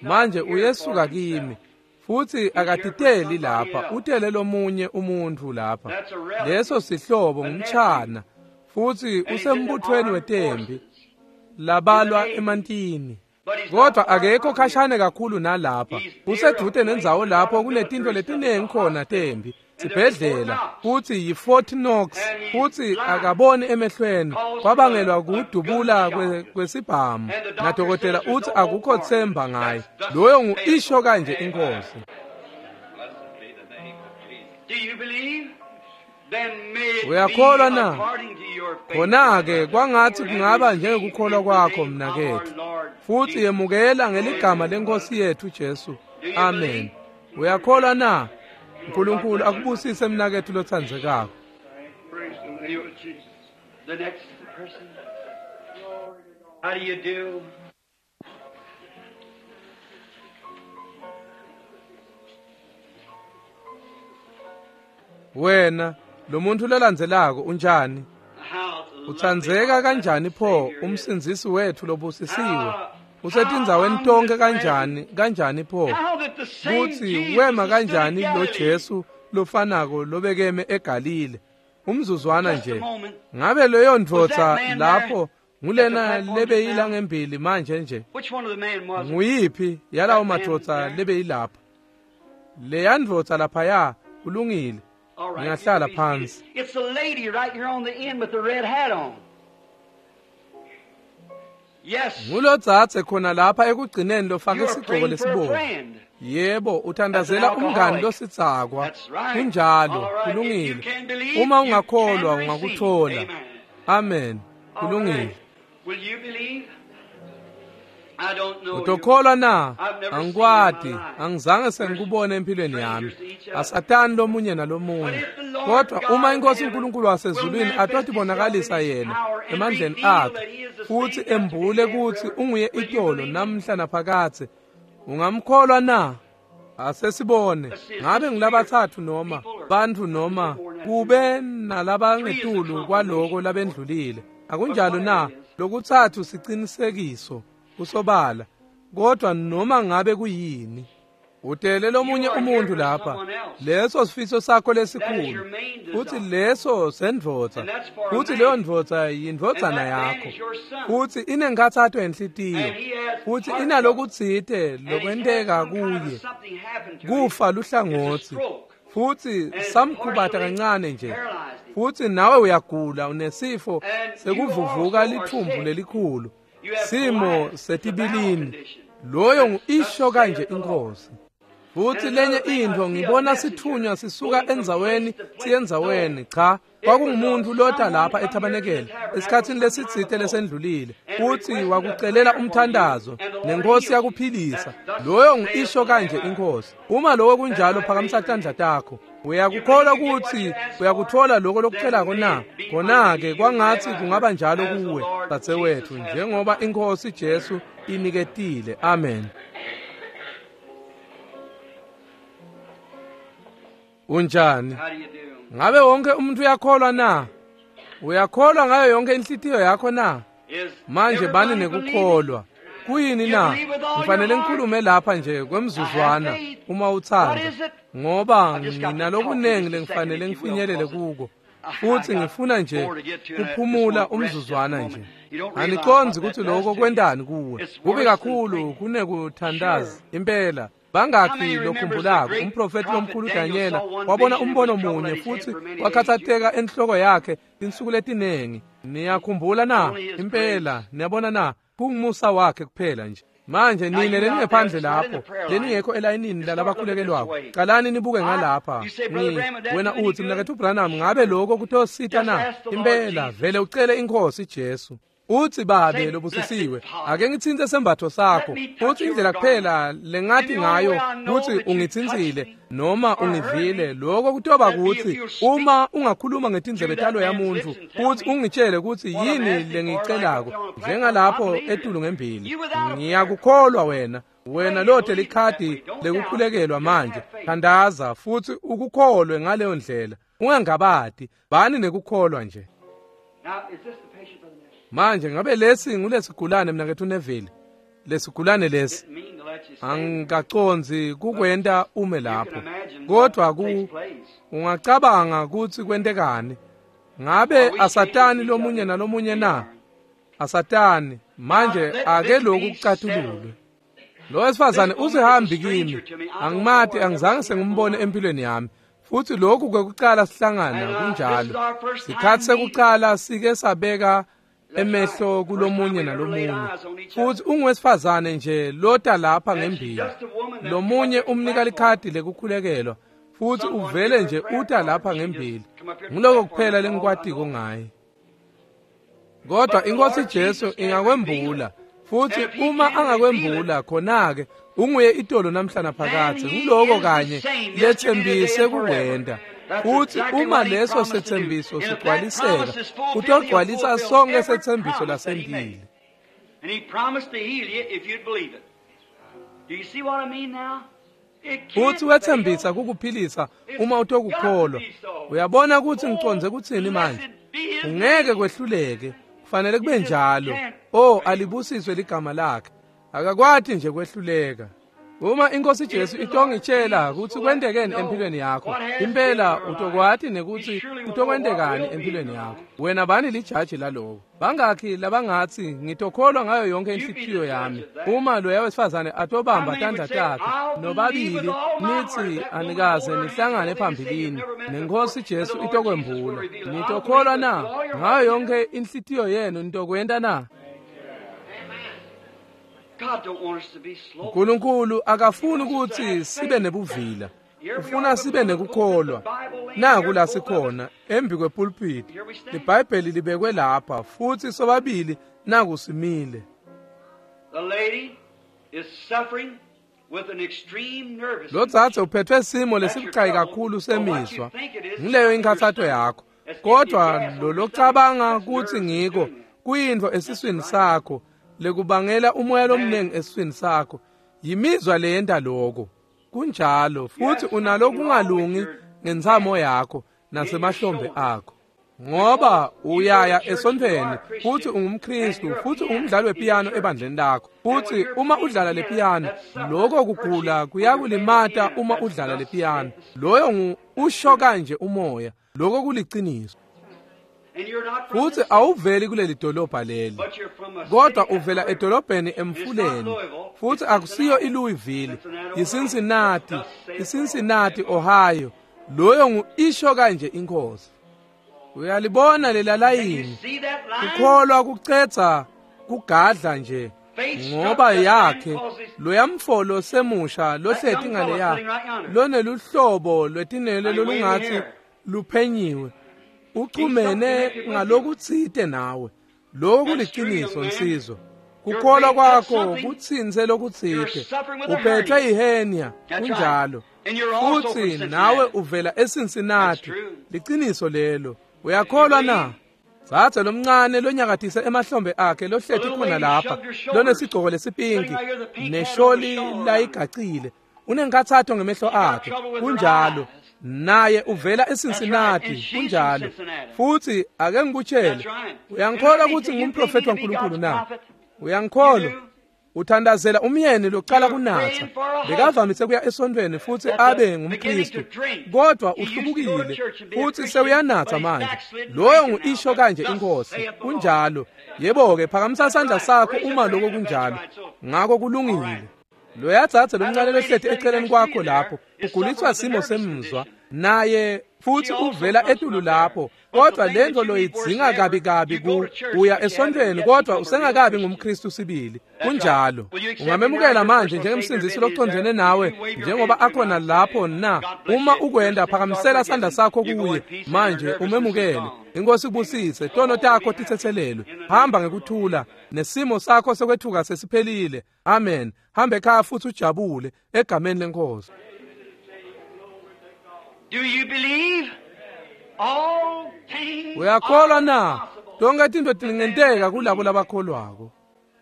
Speaker 1: Manje uyesuka kimi futhi akatiteli lapha, utele lomunye umuntfu lapha. Leso sihlobo ngumchana futhi usembuthweni wetembi labalwa emantini. Kodwa akekho khashane kakhulu nalapha, usedude nendzawo lapho kunetinto letinengi khona tembi sibhedlela, futhi yi-Fort Knox, futhi akaboni emehlweni, kwabangelwa kudubula kwesibhamu, nadokotela uthi akukho themba ngaye. Loyo ngu-isho kanje inkosi. Uyakholwa na? Khona-ke kwangathi kungaba njengekukholwa kwakho mnaketfu, futhi yemukela ngeligama lenkosi yethu Jesu. Amen. Uyakholwa na? uNkulunkulu akubusise mnaketfu lotsandzekako.
Speaker 2: The next person. How do you do?
Speaker 1: Wena lo muntu lolandzelako unjani? Utsandzeka kanjani pho umsindzisi wethu lobusisiwe? Usetindzaweni tonke kanjani kanjani pho? Kutsi wema kanjani lo Jesu lofanako lobekeme eGalile? Umzuzwana nje. Ngabe leyo ndvodza lapho ngulena lebeyila ngembili manje nje? Nguyiphi yalawo madvodza lebeyilapha? Leya ndvodza laphaya kulungile. Ngingahlala phansi.
Speaker 2: It's the lady right here on the end with the red hat on. Yes.
Speaker 1: Ngulodzadze khona lapha ekugcineni lofake
Speaker 2: You are
Speaker 1: isigqoko
Speaker 2: praying for a
Speaker 1: lesibomvu.
Speaker 2: friend.
Speaker 1: Yebo, uthandazela umngani losidzakwa.
Speaker 2: That's right.
Speaker 1: Kunjalo,
Speaker 2: All right. If you
Speaker 1: kulungile.
Speaker 2: can believe,
Speaker 1: Uma
Speaker 2: you
Speaker 1: ungakholwa
Speaker 2: can receive.
Speaker 1: ungakuthola.
Speaker 2: Amen.
Speaker 1: Amen.
Speaker 2: All
Speaker 1: Kulungile.
Speaker 2: right. Will you believe? I don't know you.
Speaker 1: Utokholwa na?
Speaker 2: I've never
Speaker 1: Angikwati,
Speaker 2: seen you in my life.
Speaker 1: angizange sengikubone empilweni yami. Asatani lomunye nalomunye. Kodwa uma inkosi uNkulunkulu wasezulwini atotibonakalisa yena emandleni akhe futhi embule kutsi unguye itolo namhla naphakadze, ungamkholwa na? Asesibone ngabe ngilabatsatfu noma bantfu noma kube nalabangetulu kwaloko labendlulile. Akunjalo na? Lokutsatfu sicinisekiso kusobala. Kodwa noma ngabe kuyini, utele lomunye umuntu lapha. Leso sifiso sakho lesikhulu, futhi leso sendvodza, futhi leyo ndvodza yindvodzana yakho, futhi inenkhatsato yenhlitiyo, futhi inalokutsite lokwenteka kuye, kufa luhlangotsi, futhi samkhubata kancane nje, futhi nawe uyagula, unesifo sekuvuvuka lithumbu lelikhulu, simo setibilini. Loyo ngu-isho kanje inkosi. Futhi lenye intfo, ngibona sithunywa sisuka endzaweni siyendzaweni. Cha, kwakungumuntu lota lapha ethabanekele esikhatsini lesitsite lesendlulile, futhi wakucelela umthandazo nenkosi yakuphilisa. Loyo ngu-isho kanje inkosi. Uma lokho kunjalo, phakamisa tandla takho. Uyakukholwa kutsi uyakuthola lokho lokucelako na? Khona-ke kwangatsi kungaba njalo kuwe, dzadzewethu, njengoba inkosi Jesu iniketile. Amen. Unjani?
Speaker 2: How do you do?
Speaker 1: Ngabe wonke umuntu uyakholwa na? Uyakholwa ngayo yonke inhlitiyo yakho na?
Speaker 2: Is
Speaker 1: Manje bani
Speaker 2: everybody believing?
Speaker 1: nekukholwa. Kuyini na? Ngifanele ngikhulume lapha nje kwemzuzwana uma uthanda, ngoba nginalokunengi lengifanele ngifinyelele kuko, futhi ngifuna nje kuphumula umzuzwana nje. Anicondzi kutsi lokho kwentani kuwe. Kubi kakhulu kunekuthandaza impela. Bangakhi lokhumbulako umprofethi lomkhulu Danyela wabona umbono munye futhi wakhathatseka enhloko yakhe tinsuku letinengi. Niyakhumbula na? Impela, niyabona na? Kungumusa wakhe kuphela nje. Manje nine leningephandle lapho, leningekho elayinini lalabakhulekelwako, qalani nibuke ngalapha. Wena uthi, mnaketfu Branham, ngabe lokho kutosita na? Impela, vele ucele inkosi Jesu. Uthi, babe lobusisiwe, ake ngitsintse sembatfo sakho. Uthi indlela kuphela lengathi ngayo kutsi ungitsintsile noma ungivile, lokho kutoba kutsi uma ungakhuluma ngetindlebe talo yamuntfu futhi ungitshele kutsi yini lengiyicelako, njengalapho etulu ngembili. Ngiyakukholwa wena. Wena lote likhadi lekukhulekelwa manje. Thandaza futhi ukukholwe ngaleyo ndlela. Ungangabati, bani nekukholwa nje. Manje ngabe lesi ngulesigulane mnaketfu Neville? Lesigulane lesi angikacondzi kukwenta ume lapho, kodwa ungacabanga kutsi kwentekani? Ngabe asatani lomunye nalomunye na? Asatani. Manje ake lokhu kucatululwe. Lo wesifazane usehambi kimi, angimati, angizange sengimbone empilweni yami, futhi lokhu kwekucala sihlangana. Kunjalo, sikhathi sekucala sike sabeka emehlo kulomunye nalomunye. Futhi unguwesifazane nje lota lapha ngembili, lomunye umnika likhadi lekukhulekelwa, futhi uvele nje uta lapha ngembili. Nguloko kuphela lengikwatiko ngaye. Kodwa iNkosi Jesu ingakwembula, futhi uma angakwembula, khona-ke unguye itolo namhla naphakadze. Nguloko kanye lethembise kukwenta. Futhi uma leso sethembiso sigcwaliseka, utogcwalisa sonke sethembiso lasentile. Futhi wethembisa kukuphilisa uma utokukholwa. Uyabona ukuthi ngicondze kutsini manje? Ungeke kwehluleke, kufanele kube njalo. Oh, alibusiswe ligama lakhe. Akakwati nje kwehluleka. Uma iNkosi Jesu itongitshela ukuthi kwentekeni empilweni yakho, impela utokwati nekuthi utokwentekani empilweni yakho. Wena bani lijaji laloko? Bangakhi labangatsi ngitokholwa ngayo yonke inhlitiyo yami? Uma loya wesifazane atobamba tandla takhe nobabili nithi anikaze nihlangane phambilini, nenkosi Jesu itokwembula. Nitokholwa na ngayo yonke inhlitiyo yenu? Nitokwenta na? uNkulunkulu akafuni ukuthi sibe nebuvila, ufuna sibe nekukholwa. Naku la sikhona embi kwepulpit, iBhayibheli libekwe lapha, futhi sobabili naku simile. Lo dzadze uphethwe simo lesibucayi kakhulu semizwa, ngileyo inkhathato yakho. Kodwa lo locabanga kutsi ngiko kuyintfo esiswini sakho lekubangela umoya lomnengi esiswini sakho, yimizwa leyenta lokho. Kunjalo, futhi unalokungalungi ngentsamo yakho nasemahlombe akho, ngoba uyaya esontfweni futhi ungumKristu futhi ungumdlali wepiyano ebandleni lakho. Futhi uma udlala le piyano, lokho kugula kuyakulimata uma udlala le piyano. Loyo usho kanje umoya, lokho kuliciniso. Futhi awuveli kuleli dolobha leli, kodwa uvela edolobheni emfuleni, futhi akusiyo iLouisville, iCincinnati, iCincinnati, Ohio. Loyo ngu isho kanje inkosi. Uyalibona lela layini? Kukholwa kucedza kugadla nje, ngoba yakhe loyamfolo semusha lohleti ngaleya loneluhlobo lwetinele lolungathi luphenyiwe, uchumene ngalokutsite nawe. Lokho kuliciniso nsizwa. Kukholwa kwakho kutsintse lokutsite. Uphethwe yihenia, kunjalo. Futhi nawe uvela eCincinnati. Liciniso lelo. Uyakholwa na? Dzadze lomncane lonyakatise emahlombe akhe lohleti khona lapha, lonesigcoko lesipinki nesholi layigacile, unenkathato ngemehlo akhe, kunjalo. Naye uvela eCincinnati, kunjalo. Futhi ake ngikutshele, uyangikholwa ukuthi ngumprofeti waNkulunkulu na? Uyangikholwa? Uthandazela umyeni locala kunatsa, bekavamise kuya esontfweni futhi abe ngumKristu, kodwa uhlubukile futhi sewuyanatsa manje. Loyo ngu-isho kanje inkosi, kunjalo. Yebo-ke, phakamisa sandla sakho uma lokho kunjalo. Ngako kulungile. Loya dzadze lomncane lohleti eceleni kwakho lapho uguliswa simo semzwa, naye futhi uvela etulu lapho, kodwa lento loyidzinga kabi kabi ku uya esontfweni, kodwa usengakabi ngumKristu sibili. Kunjalo. Ungamemukela manje njengemsindzisi locondzene nawe njengoba akhona lapho na? Uma ukwenda, phakamisela sandla sakho kuye manje umemukele. Inkosi ibusise, tono takho titsetselelwe. Hamba ngekuthula, nesimo sakho sekwethuka sesiphelile. Amen. Hambe ekhaya futhi ujabule egameni lenkosi.
Speaker 2: Do you believe? All things
Speaker 1: Uyakholwa na? Tonke tintfo tingenteka kulabo labakholwako.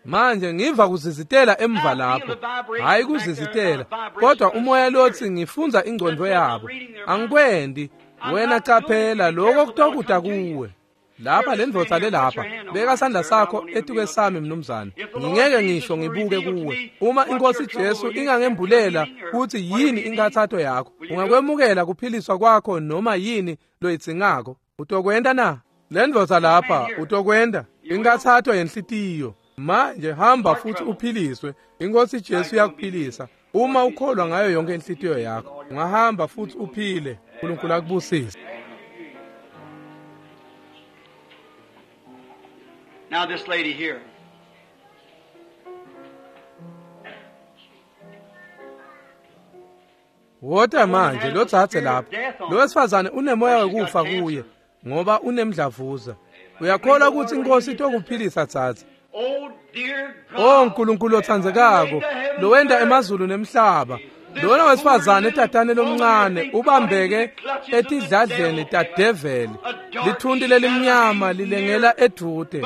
Speaker 1: Manje ngiva kuzizitela emva lapho, hayi kuzizitela, kodwa umoya lotsi ngifundza ingcondvo yabo. Angikwendi, Wena caphela lokho kutokuda kuwe. Lapha lendvodza lelapha, beka sandla sakho etukwesami mnumzane. Ngingeke ngisho ngibuke kuwe. Uma iNkosi Jesu ingangembulela kutsi yini inkathato yakho, ungakwemukela kuphiliswa kwakho noma yini loyidzingako. Utokwenta na? Lendvodza lapha, utokwenta inkathato yenhlitiyo. Manje hamba futhi uphiliswe. INkosi Jesu iyakuphilisa. Uma ukholwa ngayo yonke inhlitiyo yakho, ungahamba futhi uphile. uNkulunkulu akubusise.
Speaker 2: Now this lady here.
Speaker 1: Wota manje lotsatse lapha. Lo wesifazane unemoya wekufa kuye ngoba unemdlavuza. Uyakholwa ukuthi iNkosi itokuphilisa tsatse?
Speaker 2: Oh dear God.
Speaker 1: O nkulunkulu otsandzekako, lowenta emazulu nemhlaba. Lona wesifazane etatane lomncane ubambeke etidladleni tadeveli. Lithunti lelimnyama lilengela edude.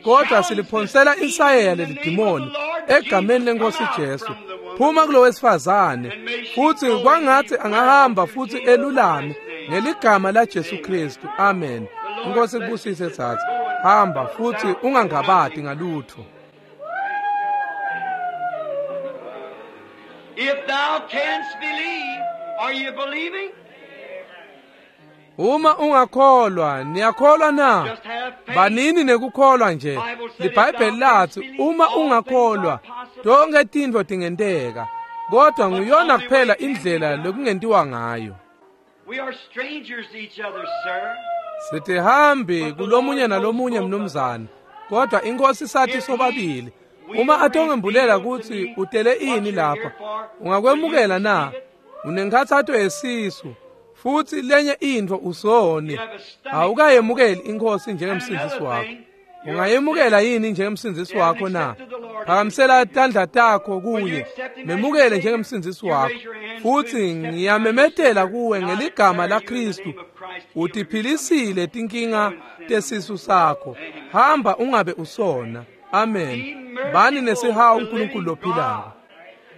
Speaker 1: Kodwa siliphonsela insayeya lelidimoni egameni lenkosi Jesu. Phuma kulo wesifazane futhi kwangathi angahamba futhi elulame ngeligama la Jesu Kristu. Amen. Inkosi kubusise tsatsa. Hamba futhi ungangabadi ngalutho.
Speaker 2: If thou canst believe, are you believing?
Speaker 1: Uma ungakholwa, niyakholwa na?
Speaker 2: Just have faith.
Speaker 1: Banini nekukholwa nje. LiBhayibheli lathi uma ungakholwa, tonke tintfo tingenteka. Kodwa nguyona kuphela indlela lokungentiwa ngayo.
Speaker 2: We are strangers to each other, sir.
Speaker 1: Sitihambi kulomunye nalomunye mnumzane. Kodwa inkosi sathi sobabili, uma atongembulela kutsi utele ini lapha, ungakwemukela na? Unenkhathato yesisu futhi lenye intfo usoni. Awukayemukeli inkosi njengemsindzisi wakho. Ungayemukela yini njengemsindzisi wakho na? Phakamisela tandla takho kuye, memukele njengemsindzisi wakho. Futhi ngiyamemetela kuwe ngeligama laKristu, utiphilisile tinkinga tesisu sakho. Hamba ungabe usona. Amen. Bani nesihawu uNkulunkulu lophilako.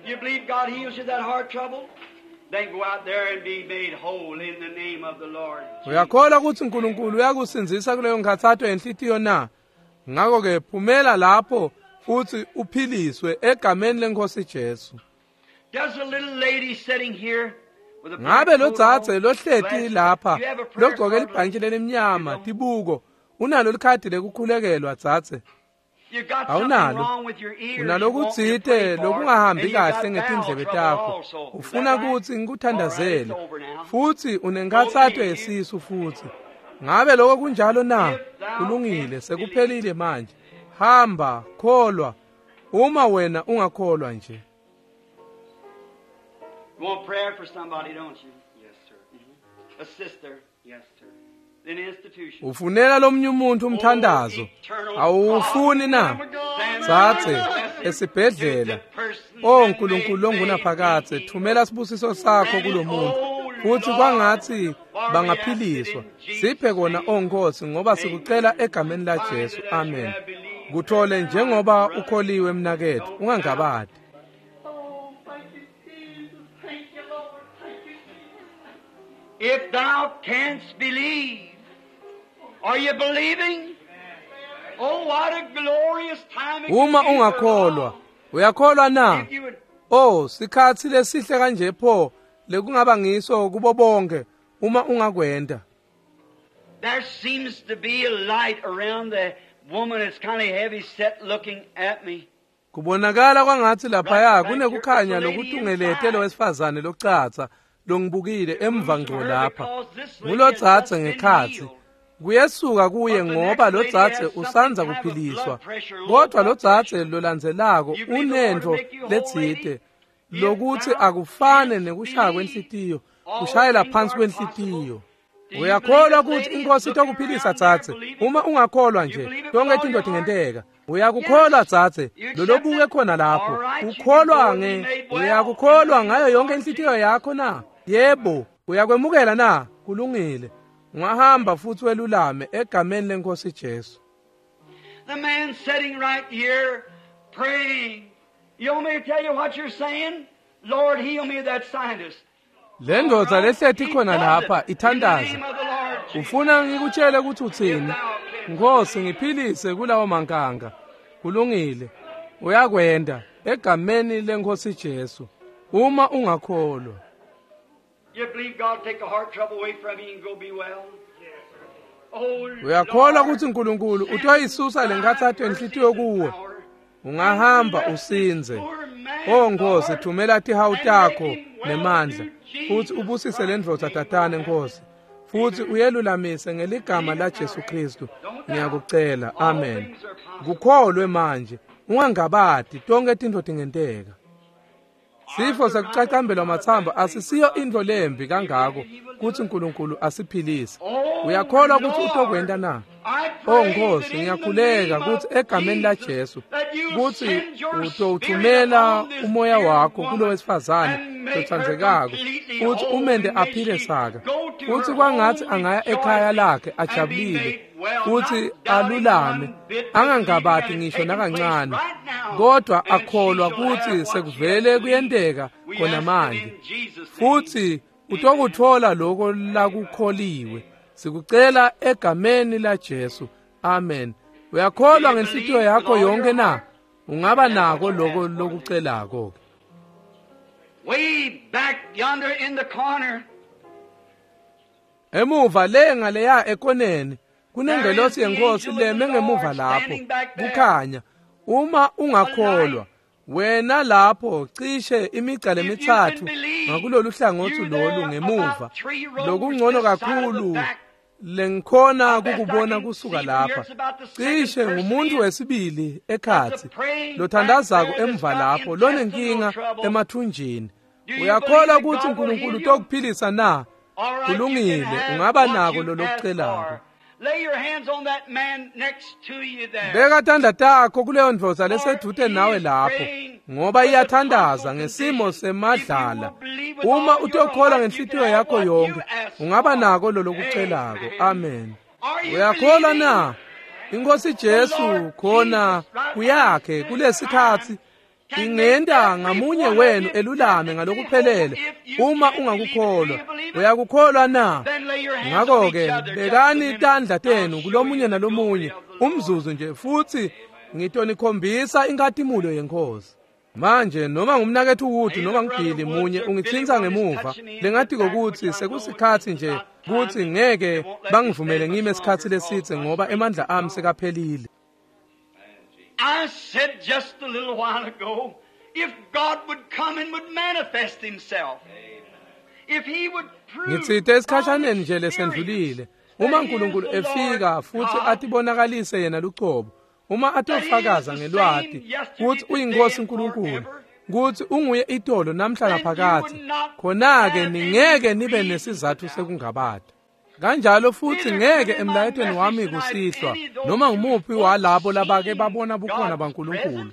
Speaker 2: You believe God heals you that heart trouble? Then go out there and be made whole in the name of the Lord.
Speaker 1: Uyakholwa ukuthi uNkulunkulu uyakusindzisa kuleyo nkhatsato yenhlitiyo na? Ngakho ke phumela lapho futhi uphiliswe egameni lenkosi Jesu.
Speaker 2: Does a little lady sitting here with a black
Speaker 1: Ngabe
Speaker 2: coat
Speaker 1: lodzadze
Speaker 2: on,
Speaker 1: lohleti
Speaker 2: glasses,
Speaker 1: lapha
Speaker 2: you have a prayer
Speaker 1: logcoke
Speaker 2: card?
Speaker 1: libhantshi lelimnyama tibuko unalo likhadi lekukhulekelwa dzadze?
Speaker 2: You got something
Speaker 1: Awunalo.
Speaker 2: wrong with your ears you want me to
Speaker 1: Unalokutsite
Speaker 2: pray for,
Speaker 1: lokungahambi
Speaker 2: and you got
Speaker 1: kahle
Speaker 2: bowel
Speaker 1: ngetindlebe
Speaker 2: trouble
Speaker 1: takho.
Speaker 2: also. Is
Speaker 1: Ufuna
Speaker 2: that right?
Speaker 1: kutsi ngikuthandazele.
Speaker 2: All right, it's over now.
Speaker 1: Futhi unenkhatsato yesisu futhi. Ngabe lokho kunjalo na? Kulungile, sekuphelile manje. Hamba, kholwa. Uma wena ungakholwa nje.
Speaker 2: You want prayer for somebody, don't you?
Speaker 3: Yes, sir.
Speaker 2: A sister
Speaker 3: Yes, sir.
Speaker 2: in an institution.
Speaker 1: Ufunela lomnye umuntu umthandazo. Awufuni na? Tsatse esibhedlela. O nkulunkulu longunaphakadze, thumela sibusiso sakho kulomuntu. Futhi kwangathi bangaphiliswa. Siphe kona o Nkosi ngoba sikucela egameni la Jesu. Amen. Kuthole njengoba ukholiwe mnakethu, ungangabadi.
Speaker 2: Oh, thank you, Jesus. Thank you, Lord. Thank you, Jesus. If thou canst believe, are you believing? Oh, what a glorious time it
Speaker 1: Uma
Speaker 2: could be for
Speaker 1: ungakholwa,
Speaker 2: all.
Speaker 1: uyakholwa na?
Speaker 2: If you would
Speaker 1: Oh, sikhatsi lesihle kanje pho lekungaba ngiso kubo bonke uma ungakwenta.
Speaker 2: There seems to be a light around the woman that's kind of heavy set looking at me.
Speaker 1: Kubonakala kwangathi laphaya kunekukhanya lokutungelete lowesifazane locatsa longibukile emva ngqo lapha. Ngulotsatse ngekhatsi. Kuyesuka kuye ngoba lotsatse usanza kuphiliswa. Kodwa lotsatse lolandzelako unentfo letsite lokuthi akufane nekushaya kwenhlitiyo, kushayela phansi kwenhlitiyo. Uyakholwa ukuthi inkosi itokuphilisa tsatse? Uma ungakholwa nje, tonke tintfo tingenteka. Uyakukholwa tsatse, lolobuke khona lapho. Ukholwa nge, uyakukholwa ngayo yonke inhlitiyo yakho na? Yebo, uyakwemukela na? Kulungile. Ungahamba futhi welulame egameni lenkosi Jesu.
Speaker 2: The man sitting right here praying. You want me to tell you what you're saying? Lord, heal me of that sinus.
Speaker 1: Le ndvodza lehleti khona lapha ithandaza. Ufuna ngikutshele ukuthi uthini? Nkosi, ngiphilise kulawo mankanga. Kulungile. Uyakwenda egameni leNkosi Jesu. Uma ungakholwa.
Speaker 2: You believe God take the heart trouble away from you and go be well?
Speaker 1: Uyakholwa ukuthi uNkulunkulu utoyisusa lenkathatho enhlitiyo kuwe. Ungahamba usinze. Oh Nkosi, thumela tihawu takho nemandla futhi ubusise le ndvodza tatane Nkosi. Futhi uyelulamise ngeligama la Jesu Kristu. Ngiyakucela. Amen. Kukholwe manje. Ungangabati tonke tintfo tingenteka. Sifo sekucacambelwa matsambo asisiyo intfo lembi kangako kutsi uNkulunkulu asiphilise. Uyakholwa kutsi utokwenta na? Oh Nkosi, ngiyakhuleka kutsi egameni la Jesu kutsi utowuthumela umoya wakho kulo wesifazane lotsandzekako futsi umente aphile saka, futsi kwangatsi angaya ekhaya lakhe ajabulile futsi alulame, angangabati ngisho nakancane, kodwa akholwa kutsi sekuvele kuyenteka khona manje, futsi utokutfola loko lakukholiwe. Sikucela egameni la Jesu. Amen. Uyakholwa ngenhlitiyo yakho yonke na? Ungaba nako loko lokucelako.
Speaker 2: Way back yonder in the corner.
Speaker 1: Emuva le ngaleya ekoneni kunengelosi yenkosi leme ngemuva lapho kukhanya. Uma ungakholwa wena lapho cishe imigca lemithathu ngakulolu hlangothi lolu ngemuva, lokungcono kakhulu lengikhona kukubona kusuka lapha, cishe ngumuntu wesibili ekhatsi lothandazako emva lapho lonenkinga emathunjini. Uyakholwa ukuthi uNkulunkulu utokuphilisa na? Kulungile, ungaba nako lolokucelako. Beka tandla takho kuleyo ndvodza lesedvute nawe lapho, ngoba iyathandaza ngesimo semadlala. Uma utokholwa ngenhlitiyo yakho yonke, ungaba nako lolokucelako. Amen. Uyakholwa na? Inkosi Jesu khona kuyakhe kulesikhatsi ingenta ngamunye wenu elulame ngalokuphelele uma ungakukholwa. Uyakukholwa na? Ngakho-ke bekani tandla tenu kulomunye nalomunye umzuzu nje, futhi ngitonikhombisa inkhatimulo yenkosi. Manje noma ngumnaketfu Wood noma ngibhili munye ungitsintsa ngemuva, lengatiko kutsi sekusikhatsi nje kutsi ngeke bangivumele ngime isikhatsi lesidze ngoba emandla ami sekaphelile.
Speaker 2: I said just a little while ago, if God would come and would manifest himself, if he would prove
Speaker 1: Ngitsite esikhashaneni nje lesendlulile, uma uNkulunkulu efika futhi atibonakalise yena lucobo, uma atofakaza ngelwati kutsi uyinkosi uNkulunkulu, kutsi unguye itolo namhla naphakadze, khona-ke ningeke nibe nesizatfu sekungabata. Kanjalo futhi ngeke emlayetweni wami kusihlwa noma ngumuphi walabo labake babona bukhona baNkulunkulu.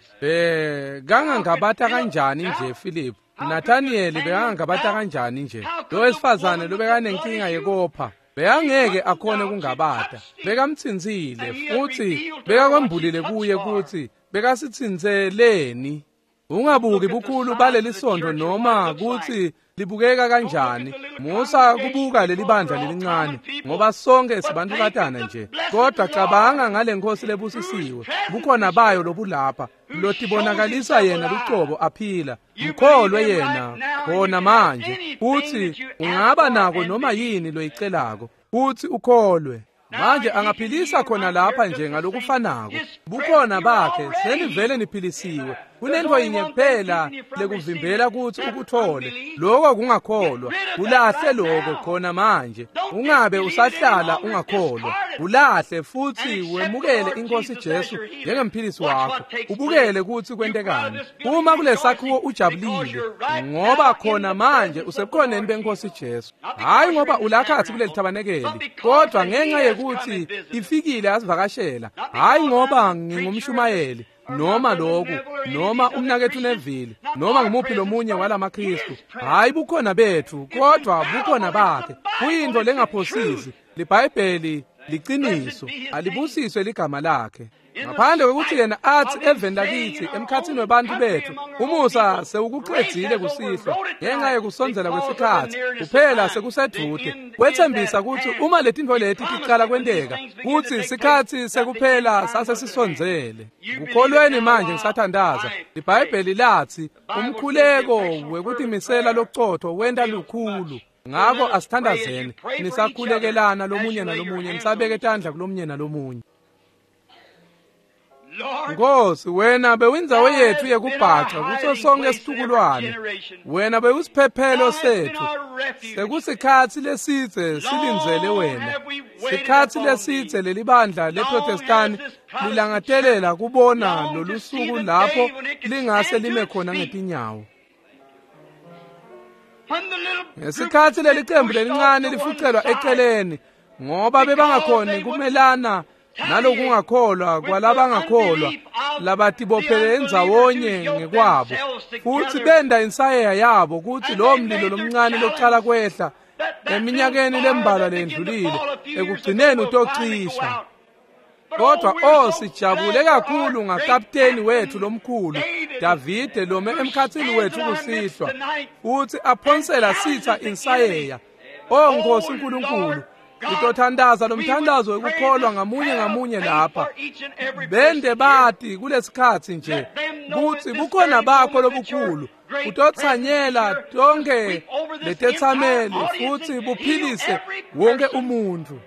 Speaker 1: Kangangabata kanjani nje Philip? Nathaniel bekangangabata kanjani nje? Lo wesifazane lobekanenkinga yekopha bekangeke akhone kungabata. Bekamtsintsile futhi bekakwembulile kuye kutsi bekasitsintseleni. Ungabuki bukhulu baleli sondo noma kutsi libukeka kanjani. Musa kubuka leli bandla lelincane ngoba sonke sibantukatana nje, kodwa cabanga ngale nkosi lebusisiwe, bukhona bayo lobulapha lotibonakalisa yena lucobo aphila. Mkholwe yena khona manje, futhi ungaba nako noma yini loyicelako, futhi ukholwe. Manje angaphilisa khona lapha nje ngalokufanako. Bukhona bakhe senivele niphilisiwe. Kunento yinye kuphela lekuvimbela kutsi ukuthole, lokho kungakholwa. Ulahle lokho khona manje. Ungabe usahlala ungakholwa. Ulahle futhi wemukele inkosi Jesu njengemphilisi wakho. Ubukele kutsi kwentekani. Uma kulesakhiwo ujabulile ngoba khona manje usebukhoneni benkosi Jesu. Hayi ngoba ulakhathi kuleli thabanekeli, kodwa ngenxa yekuthi ifikile asivakashela. Hayi ngoba ngingumshumayeli noma lokhu noma umnaketfu Neville noma ngumuphi lomunye walamaKristu. Hayi bukhona bethu, kodwa bukhona bakhe. Kuyintfo lengaphosisi. LiBhayibheli liciniso, alibusiswe ligama lakhe. Ngaphandle kwekutsi yena atsi eveni lakitsi emkhatsini webantfu betfu, umusa sewukucedzile kusihlwa ngenxa yekusondzela kwesikhatsi, kuphela sekusedvute. Wetsembisa kutsi uma letintfo leti ticala kwenteka, kutsi sikhatsi sekuphela sasesisondzele. Kukholweni manje ngisathandaza. IBhayibheli latsi umkhuleko wekutimisela locotfo wenta lukhulu. Ngako asithandazeni, nisakhulekelana lomunye nalomunye, nisabeke tandla kulomunye nalomunye. Nkosi, wena bewindzawo yetfu yekubhaca kuso sonke situkulwane. Wena bewusiphephelo setfu. Sekusikhatsi lesidze silindzele wena. Sikhatsi lesidze lelibandla leProtestani lilangatelela kubona lolusuku lapho lingase lime khona ngetinyawo. Ngesikhatsi lelicembu lelincane lifucelwa eceleni ngoba bebangakhoni kumelana nalokungakholwa kwalabangakholwa labatibophele endzawonye ngekwabo, futsi benda insayeya yabo kutsi lowo mlilo lomncane locala kwehla eminyakeni lembalwa lendlulile ekugcineni utocisha. Kodwa sijabule kakhulu ngakapteni wethu lomkhulu Davide lome emkhatsini wethu kusihlwa, futsi aphonsela sitha insayeya. O Nkosi uNkulunkulu, ngitothandaza lomthandazo wekukholwa ngamunye ngamunye lapha. Bende bati kulesikhatsi nje kutsi bukhona bakho lobukhulu utotsanyela tonke letetsameli futsi buphilise wonke umuntfu.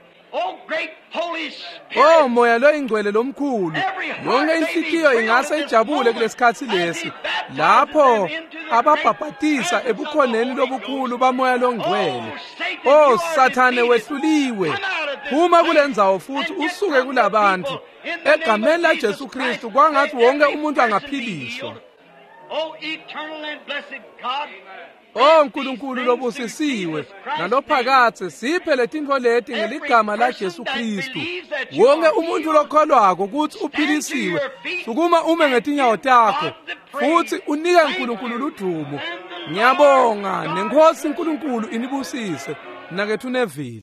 Speaker 1: O Moya loyingcwele lomkhulu, yonke inhliziyo ingase ijabule kulesikhatsi lesi lapho ababhabhatisa ebukhoneni lobukhulu baMoya longcwele. O Sathane, wehluliwe, phuma kulendzawo futhi usuke kulabantu egameni la Jesu Kristu. Kwangathi wonke umuntu angaphiliswa. O Nkulunkulu lobusisiwe nalophakathe, siphe letintfo leti ngeligama la Jesu Kristu. Wonke umuntu lokholwako kutsi uphilisiwe, sukuma ume ngetinyawo takho futsi unike Nkulunkulu ludumo. Ngiyabonga, nenkosi uNkulunkulu inibusise. Nakethu Neville.